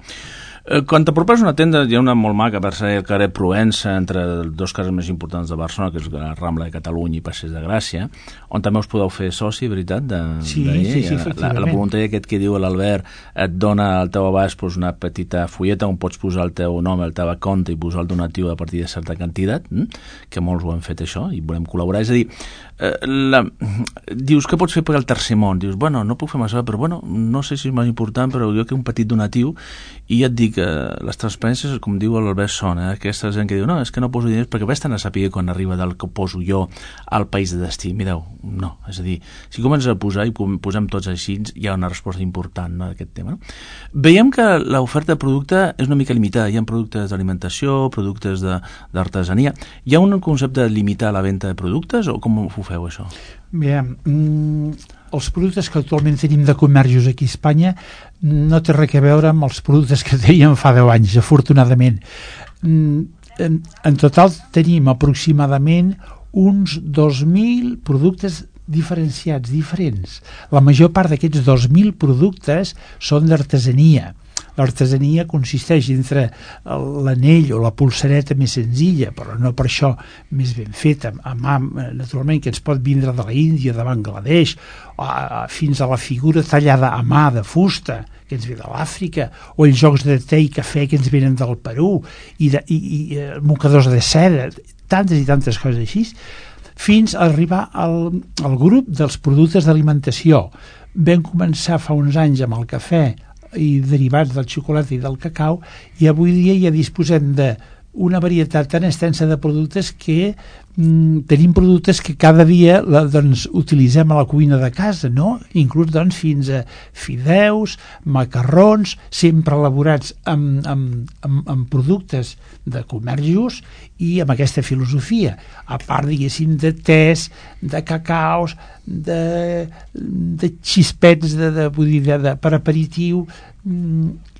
Quan t'apropes a una tenda, hi ha una molt maca per ser el carrer Provença, entre els dos carrers més importants de Barcelona, que és la Rambla de Catalunya i Passeig de Gràcia, on també us podeu fer soci, veritat? De, sí, de, sí, sí, la, efectivament. la, la voluntària aquest que diu l'Albert et dona al teu abast pues, una petita fulleta on pots posar el teu nom, el teu compte i posar el donatiu a partir de certa quantitat, hm? que molts ho han fet això i volem col·laborar. És a dir, eh, la, dius que pots fer per al tercer món, dius, bueno, no puc fer massa, però bueno, no sé si és més important, però jo que un petit donatiu, i ja et dic que les transparències, com diu l'Albert Son, eh, aquesta gent que diu, no, és que no poso diners perquè ves tant a saber quan arriba del que poso jo al país de destí. Mireu, no, és a dir, si comences a posar i posem tots així, hi ha una resposta important, no, d'aquest tema. No? Veiem que l'oferta de producte és una mica limitada, hi ha productes d'alimentació, productes d'artesania. Hi ha un concepte de limitar la venda de productes o com ho feu això? Bé, mm, els productes que actualment tenim de comerços aquí a Espanya no té res a veure amb els productes que teníem fa deu anys, afortunadament. Mm, en, en total tenim aproximadament uns dos mil productes diferenciats, diferents. La major part d'aquests dos mil productes són d'artesania. L'artesania consisteix entre l'anell o la pulsareta més senzilla, però no per això més ben feta, a mà, naturalment, que ens pot vindre de la Índia, de Bangladesh, fins a la figura tallada a mà de fusta, que ens ve de l'Àfrica, o els jocs de te i cafè que ens venen del Perú, i, de, i, i mocadors de seda, tantes i tantes coses així, fins a arribar al, al grup dels productes d'alimentació. Vam començar fa uns anys amb el cafè i derivats del xocolata i del cacau, i avui dia ja disposem d'una varietat tan extensa de productes que mm, tenim productes que cada dia la, doncs, utilitzem a la cuina de casa, no? Inclús doncs, fins a fideus, macarrons, sempre elaborats amb, amb, amb, amb productes de comerços i amb aquesta filosofia, a part, diguéssim, de tés, de cacaus, de, de xispets de, de, vull dir, de, de, per aperitiu,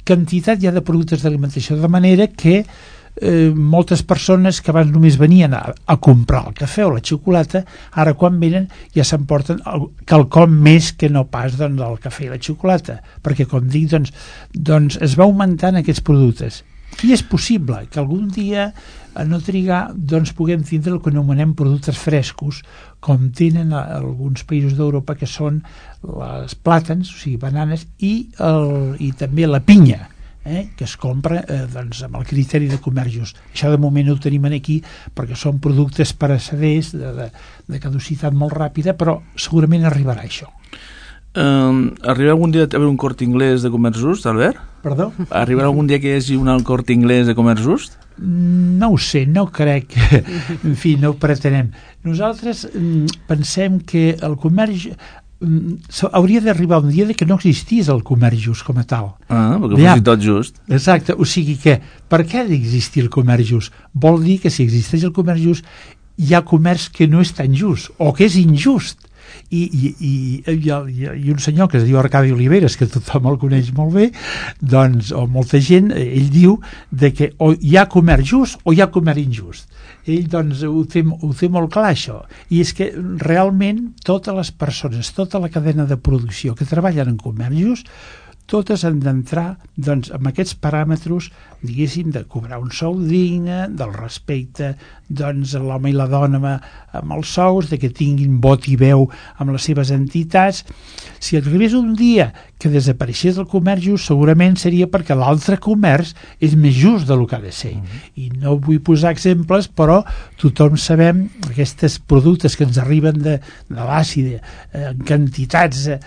quantitat ja de productes d'alimentació, de manera que eh, moltes persones que abans només venien a, a comprar el cafè o la xocolata, ara quan venen ja s'emporten quelcom més que no pas doncs, el cafè i la xocolata, perquè com dic doncs, doncs es va augmentant aquests productes. I és possible que algun dia, a no trigar, doncs puguem tindre el que anomenem productes frescos, com tenen a, a alguns països d'Europa, que són les plàtans, o sigui, bananes, i, el, i també la pinya, eh, que es compra eh, doncs, amb el criteri de comerços. Això de moment no ho tenim aquí, perquè són productes pereceders, de, de, de caducitat molt ràpida, però segurament arribarà això. Uh, arribarà algun dia a haver un Corte Inglés de comerç just, Albert? Perdó? Arribarà algun dia que hi hagi un Corte Inglés de comerç just? No ho sé, no crec que, en fi, no ho pretenem. Nosaltres mm, pensem que el comerç mm, hauria d'arribar un dia de que no existís el comerç just com a tal. Ah, perquè ja, fos tot just. Exacte, o sigui que per què ha d'existir el comerç just? Vol dir que si existeix el comerç just hi ha comerç que no és tan just o que és injust. I, i, i, i, i un senyor que es diu Arcadi Oliveres, que tothom el coneix molt bé, doncs, o molta gent, ell diu de que o hi ha comerç just o hi ha comerç injust. Ell doncs ho té, ho té molt clar, això, i és que realment totes les persones, tota la cadena de producció que treballen en comerç just, totes han d'entrar doncs, amb aquests paràmetres, diguéssim, de cobrar un sou digne, del respecte doncs, a l'home i la dona amb, amb els sous, de que tinguin vot i veu amb les seves entitats. Si arribés un dia que desapareixés el comerç just, segurament seria perquè l'altre comerç és més just del que ha de ser. Mm-hmm. I no vull posar exemples, però tothom sabem aquests productes que ens arriben de, de l'àcid eh, en quantitats eh,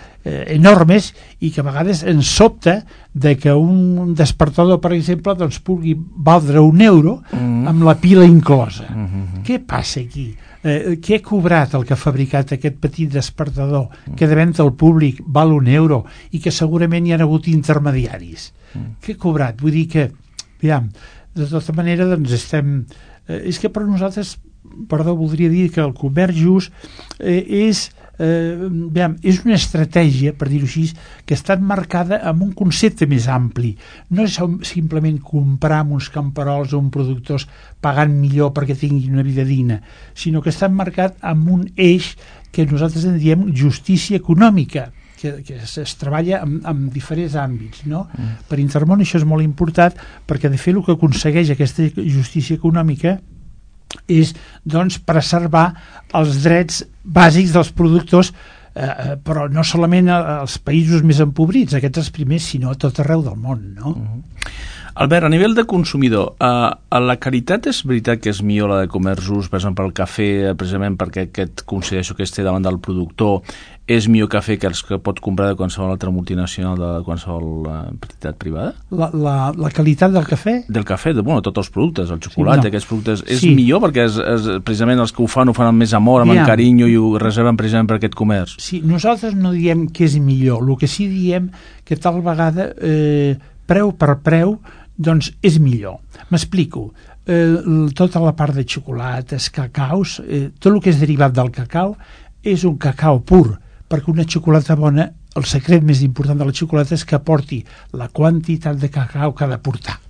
enormes i que a vegades ens sobta de que un despertador, per exemple, doncs pugui valdre un euro mm. amb la pila inclosa. Mm-hmm. Què passa aquí? Eh, què ha cobrat el que ha fabricat aquest petit despertador mm. que de venda al públic val un euro i que segurament hi ha hagut intermediaris? Mm. Què ha cobrat? Vull dir que, aviam, de tota manera, doncs estem... Eh, és que per nosaltres, perdó, voldria dir que el comerç just eh, és... Eh, veiem, és una estratègia, per dir-ho així, que està marcada amb un concepte més ampli. No és simplement comprar amb uns camperols o uns productors pagant millor perquè tinguin una vida digna, sinó que està marcat amb un eix que nosaltres en diem justícia econòmica, que, que es, es treballa en, en diferents àmbits, no? Mm. Per Intermón això és molt important, perquè de fet el que aconsegueix aquesta justícia econòmica és, doncs, preservar els drets bàsics dels productors, eh, però no solament als països més empobrits, aquests els primers, sinó a tot arreu del món, no? Mm. Albert, a nivell de consumidor, eh, la qualitat és veritat que és millor la de comerç just, per exemple, el cafè, precisament perquè aquest consideració que es té davant del productor és millor cafè que els que pot comprar de qualsevol altra multinacional, de qualsevol uh, entitat privada? La, la, la qualitat del cafè? Del cafè, de, bueno, tots els productes, el xocolata, sí, no. Aquests productes, és sí. millor perquè és, és, precisament els que ho fan ho fan amb més amor, amb yeah. carinyo i ho reserven precisament per aquest comerç. Sí, nosaltres no diem que és millor, el que sí diem que tal vegada eh, preu per preu doncs és millor. M'explico. Eh, tota la part de xocolates, cacaus, eh, tot el que és derivat del cacau és un cacau pur, perquè una xocolata bona, el secret més important de la xocolata és que aporti la quantitat de cacau que ha de portar.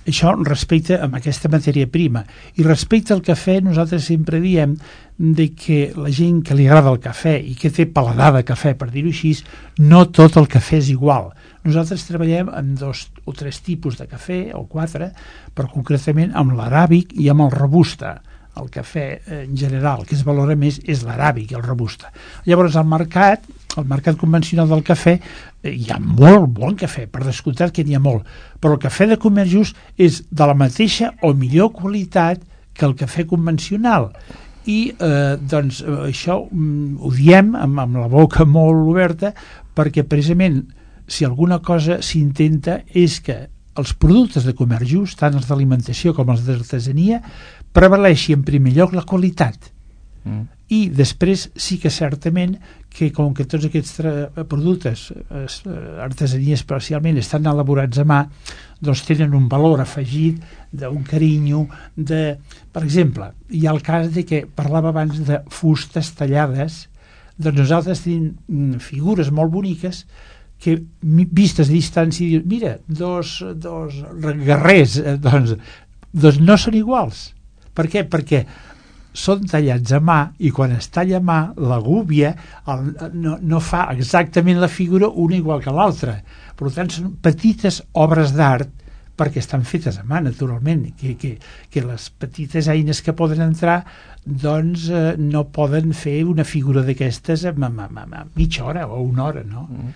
Això respecte a aquesta matèria prima. I respecte al cafè, nosaltres sempre diem de que la gent que li agrada el cafè i que té paladar de cafè, per dir-ho així, no tot el cafè és igual. Nosaltres treballem amb dos o tres tipus de cafè, o quatre, però concretament amb l'aràbic i amb el robusta. El cafè en general, que es valora més, és l'aràbic i el robusta. Llavors, al mercat, al mercat convencional del cafè, hi ha molt bon cafè, per descomptat que n'hi ha molt, però el cafè de comerç just és de la mateixa o millor qualitat que el cafè convencional. I eh, doncs això mm, ho diem amb, amb la boca molt oberta, perquè precisament si alguna cosa s'intenta és que els productes de comerç just, tant els d'alimentació com els d'artesania, prevaleixi en primer lloc la qualitat. Mm. I després sí que certament que com que tots aquests productes, artesania especialment, estan elaborats a mà, doncs tenen un valor afegit d'un carinyo, de... Per exemple, hi ha el cas de que parlava abans de fustes tallades, doncs nosaltres tenim figures molt boniques que vistes a distància diuen, mira, dos, dos guerrers, doncs, doncs no són iguals. Per què? Perquè són tallats a mà i quan es talla a mà la gúbia el, no, no fa exactament la figura una igual que l'altra. Per tant, són petites obres d'art perquè estan fetes a mà, naturalment, que, que, que les petites eines que poden entrar doncs eh, no poden fer una figura d'aquestes en, en, en, en mitja hora o una hora, no? Mm.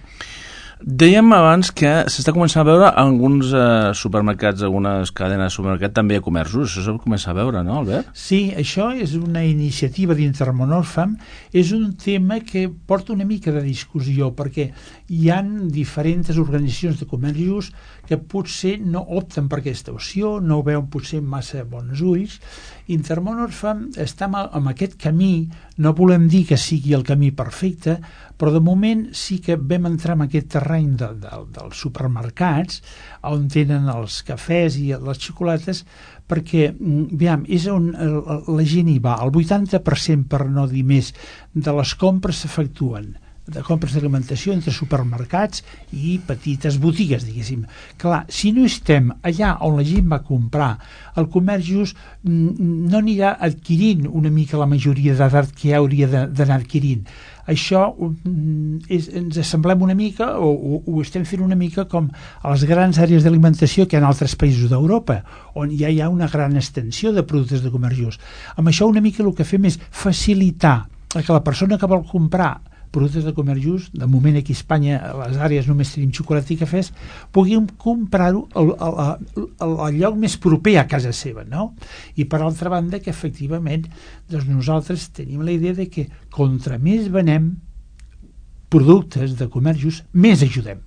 Dèiem abans que s'està començant a veure en alguns eh, supermercats, algunes cadenes de supermercat també a comerços, això s'ha començat a veure, no, Albert? Sí, això és una iniciativa d'Intermón Oxfam, és un tema que porta una mica de discussió, perquè hi ha diferents organitzacions de comerç just que potser no opten per aquesta opció, no ho veuen potser massa bons ulls. Intermón Oxfam està en aquest camí, no volem dir que sigui el camí perfecte, però de moment sí que vam entrar en aquest terreny de, de, dels supermercats on tenen els cafès i les xocolates, perquè aviam, és on la gent hi va. El vuitanta per cent, per no dir més, de les compres s'efectuen de compres d'alimentació entre supermercats i petites botigues, diguéssim. Clar, si no estem allà on la gent va comprar, el comerç just no anirà adquirint una mica la majoria d'edat que ja hauria d'anar adquirint. Això és, ens assemblem una mica o, o ho estem fent una mica com a les grans àrees d'alimentació que hi ha en altres països d'Europa, on ja hi ha una gran extensió de productes de comerç just. Amb això una mica el que fem és facilitar que la persona que vol comprar productes de comerç just, de moment aquí a Espanya a les àrees només tenim xocolata i cafès, puguin comprar-ho al, al, al, al lloc més proper a casa seva, no? I per altra banda que efectivament doncs nosaltres tenim la idea de que contra més venem productes de comerç just, més ajudem.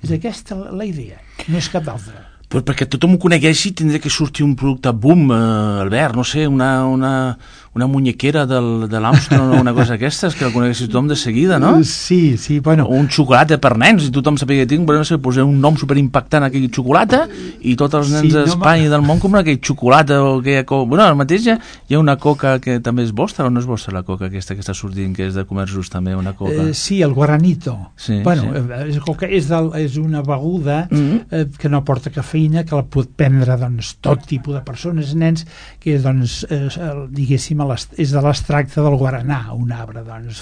És aquesta la idea, no és cap altra. Pues perquè tothom ho conegueixi tindria que sortir un producte boom, eh, Albert, no sé, una, una, una muñequera del, de l'Armstrong o una cosa d'aquestes que el conegueixi tothom de seguida, no? Sí, sí, bueno. O un xocolata per nens, i tothom sabia que tinc, però no sé, posar un nom superimpactant a aquell xocolata i tots els nens sí, d'Espanya no, i del món compren aquell xocolata o aquella coca. Bueno, al mateix ja hi ha una coca que també és vostra o no és vostra la coca aquesta que està sortint, que és de comerç just també, una coca? Eh, sí, el Guaranito. Sí, bueno, sí. És, coca, és, del, és una beguda mm-hmm. eh, que no porta cafè cafeïna que la pot prendre doncs, tot tipus de persones, nens, que doncs, eh, diguéssim, és de l'extracte del guaranà, un arbre, doncs,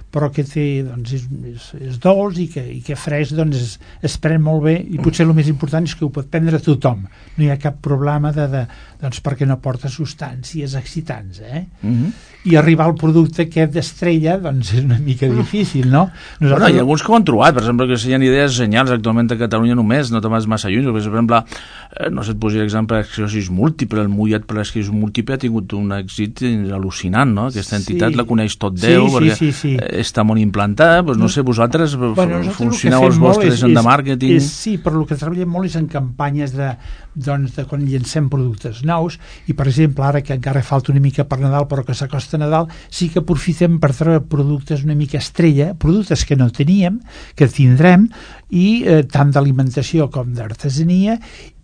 però que té, doncs, és, és, és dolç i que, i que fresc doncs, es, es pren molt bé, i potser el més important és que ho pot prendre tothom. No hi ha cap problema de, de, doncs, perquè no porta substàncies excitants, eh? Mm-hmm. I arribar al producte aquest d'estrella doncs és una mica difícil, no? Nosaltres... Bueno, hi ha alguns que ho han trobat, per exemple, que hi ha idees genials actualment a Catalunya només, no te'n vas massa lluny, per exemple, eh, no sé, et posaria l'exemple l'esclerosi múltiple, el mullat per l'esclerosi múltiple ha tingut un èxit al·lucinant, no? Aquesta entitat sí. La coneix tot Déu, sí, perquè sí, sí, sí. està molt implantada, doncs no sé, vosaltres bueno, funcioneu els vostres en de màrqueting... És, sí, però el que treballem molt és en campanyes de, doncs, de quan llancem productes nous, i per exemple, ara que encara falta una mica per Nadal, però que s'acosta a Nadal, sí que aprofitem per treure productes una mica estrella, productes que no teníem, que tindrem, i eh, tant d'alimentació com d'artesania,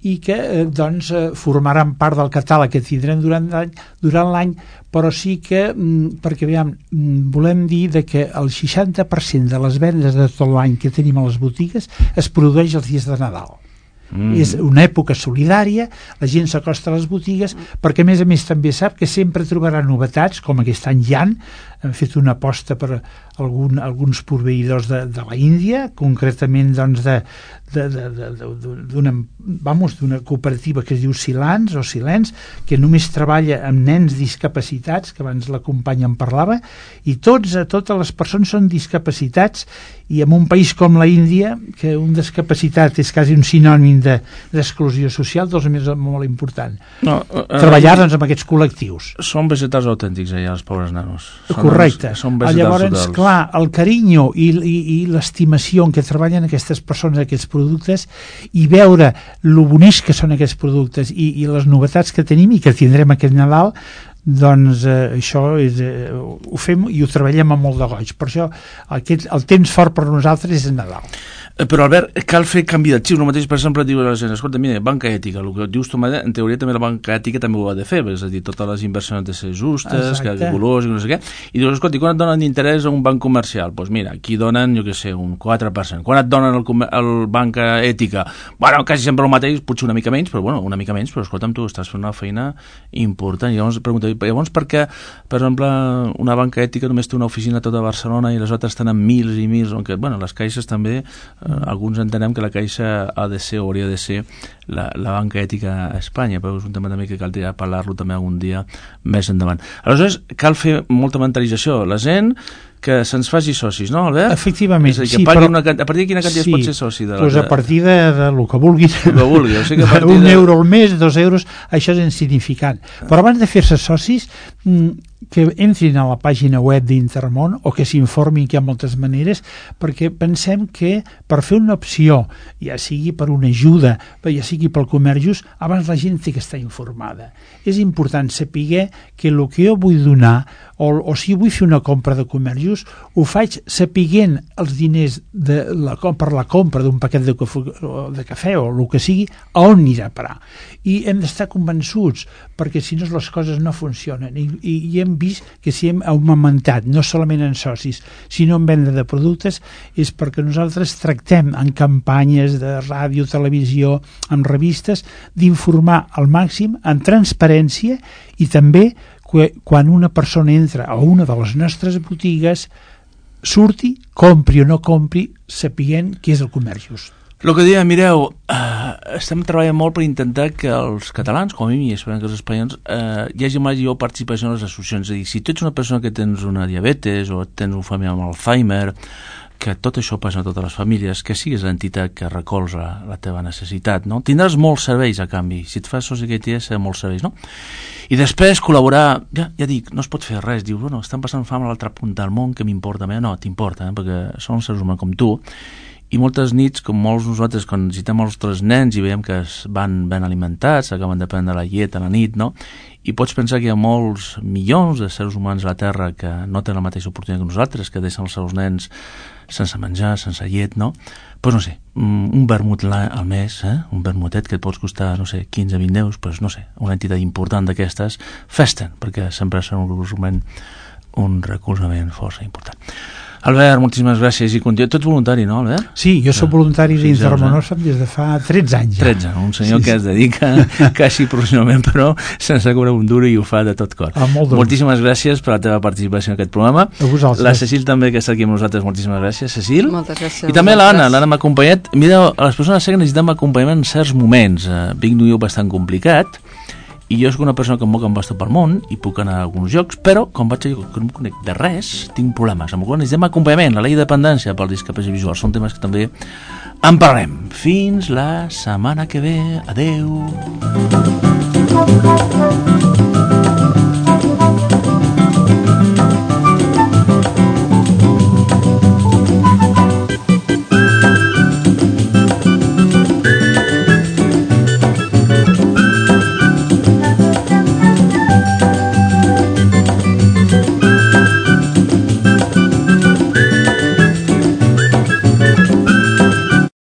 i que eh, doncs, eh, formaran part del catàleg que tindrem durant l'any, durant l'any, però sí que, mm, perquè veiem, mm, volem dir de que el seixanta per cent de les vendes de tot l'any que tenim a les botigues es produeix els dies de Nadal. Mm. És una època solidària, la gent s'acosta a les botigues perquè a més a més també sap que sempre trobarà novetats, com aquest any hi han, hem fet una aposta per algun, alguns proveïdors de, de la Índia, concretament doncs de, de, de, de, de, d'una, vamos, d'una cooperativa que es diu Silans o Silens, que només treballa amb nens discapacitats, que abans la companya en parlava, i tots, totes les persones són discapacitats, i en un país com la Índia, que un discapacitat és quasi un sinònim de, d'exclusió social, doncs és molt important. No, uh, treballar doncs, amb aquests col·lectius. Són vegetals autèntics allà, els pobres nanos. Són Correcte. Els, són vegetals Llavors, totals. Clar, el carinyo i, i, i l'estimació en què treballen aquestes persones, aquests productes, i veure lo bonics que són aquests productes i, i les novetats que tenim i que tindrem aquest Nadal, doncs eh, això és, eh, ho fem i ho treballem amb molt de goig. Per això aquest, el temps fort per nosaltres és el Nadal. Però Albert, cal fer canvi de xip. El mateix, per exemple, diu a la gent, escolta, mira, banca ètica, el que dius tu, en teoria també la banca ètica també ho ha de fer, és a dir, totes les inversions han de ser justes, que colors i no sé què, i dius, escolta, quan et donen d'interès a un banc comercial? Doncs pues mira, aquí donen, jo què sé, un quatre per cent. Quan et donen el, el banca ètica? Bueno, quasi sempre el mateix, potser una mica menys, però bueno, una mica menys, però escolta'm, tu estàs fent una feina important. I llavors pregunta, llavors per què, per exemple, una banca ètica només té una oficina a tota Barcelona i les altres tenen mils i mils, on que, bueno, les caixes també, eh, alguns entenem que la Caixa ha de ser o hauria de ser la, la banca ètica a Espanya, però és un tema també que cal parlar-lo també algun dia més endavant. Aleshores, cal fer molta mentalització. La gent que se'ns faci socis, no, Albert? Efectivament, és a dir, que sí, pagui però... una, a partir de quina quantitat sí, pot ser soci? De la... Pues a partir de, de lo que vulgui. El que vulgui. O sigui que a partir un de... euro al mes, dos euros, això és insignificant. Però abans de fer-se socis, que entrin a la pàgina web d'Intermón o que s'informin, que hi ha moltes maneres, perquè pensem que per fer una opció, ja sigui per una ajuda, ja sigui pel comerç just, abans la gent té que estar informada. És important saber que el que jo vull donar, o, o si vull fer una compra de comerç just, ho faig sapiguent els diners de la, per la compra d'un paquet de, de cafè o el que sigui, a on anirà a parar. I hem d'estar convençuts, perquè si no les coses no funcionen. I, i, i hem vist que si hem augmentat, no solament en socis, sinó en venda de productes, és perquè nosaltres tractem en campanyes de ràdio, televisió, en revistes, d'informar al màxim, en transparència, i també quan una persona entra a una de les nostres botigues, surti, compri o no compri, sapiguent què és el comerç just. El que deia, mireu, eh, estem treballant molt per intentar que els catalans, com a mi, i esperem que els espanyols, eh, hi hagi major participació en les associacions. És a dir, si tu ets una persona que tens una diabetes o tens un familiar amb Alzheimer, que tot això passa a totes les famílies, que siguis l'entitat que recolza la, la teva necessitat, no? Tindràs molts serveis a canvi. Si et fas soci que t'hi ha molts serveis, no? I després col·laborar, ja, ja dic, no es pot fer res, dius, bueno, estan passant fam a l'altra punta del món, que m'importa? No, t'importa, eh? Perquè són seres humans com tu, i moltes nits, com molts nosaltres, quan visitem els nostres nens i veiem que es van ben alimentats, acaben de prendre la llet a la nit, no? I pots pensar que hi ha molts milions de seres humans a la Terra que no tenen la mateixa oportunitat que nosaltres, que deixen els seus nens sense menjar, sense llet, no? Doncs pues no sé, un vermut al mes, eh? Un vermutet que et pots costar, no sé, quinze a vint euros, doncs no sé, una entitat important d'aquestes, fes-te'n, perquè sempre serà un recolzament, un recolzament força important. Albert, moltíssimes gràcies i continua. Tu ets voluntari, no, Albert? Sí, jo soc voluntari dins de Fixeu-vos, Ramon eh? Orfam des de fa tretze anys. Ja. tretze, un senyor Sí, que sí. es dedica quasi professionalment, però sense cobrar un duro i ho fa de tot cor. Ah, molt de Moltíssimes gràcies per la teva participació en aquest programa. A vosaltres. La Cecil també, que està aquí amb nosaltres, moltíssimes gràcies, Cecil. Moltes gràcies a I també l'Anna, vosaltres. l'Anna m'ha acompanyat. Mira, les persones que necessitem acompanyament en certs moments. Eh, vinc d'un lloc bastant complicat, i jo soc una persona que em moc amb bastant pel món i puc anar a alguns jocs, però quan vaig a lloc que no em conec de res, tinc problemes. Amb el qual necessitem acompanyament, la llei de dependència per discapacitat visual. Són temes que també en parlarem. Fins la setmana que ve. Adeu.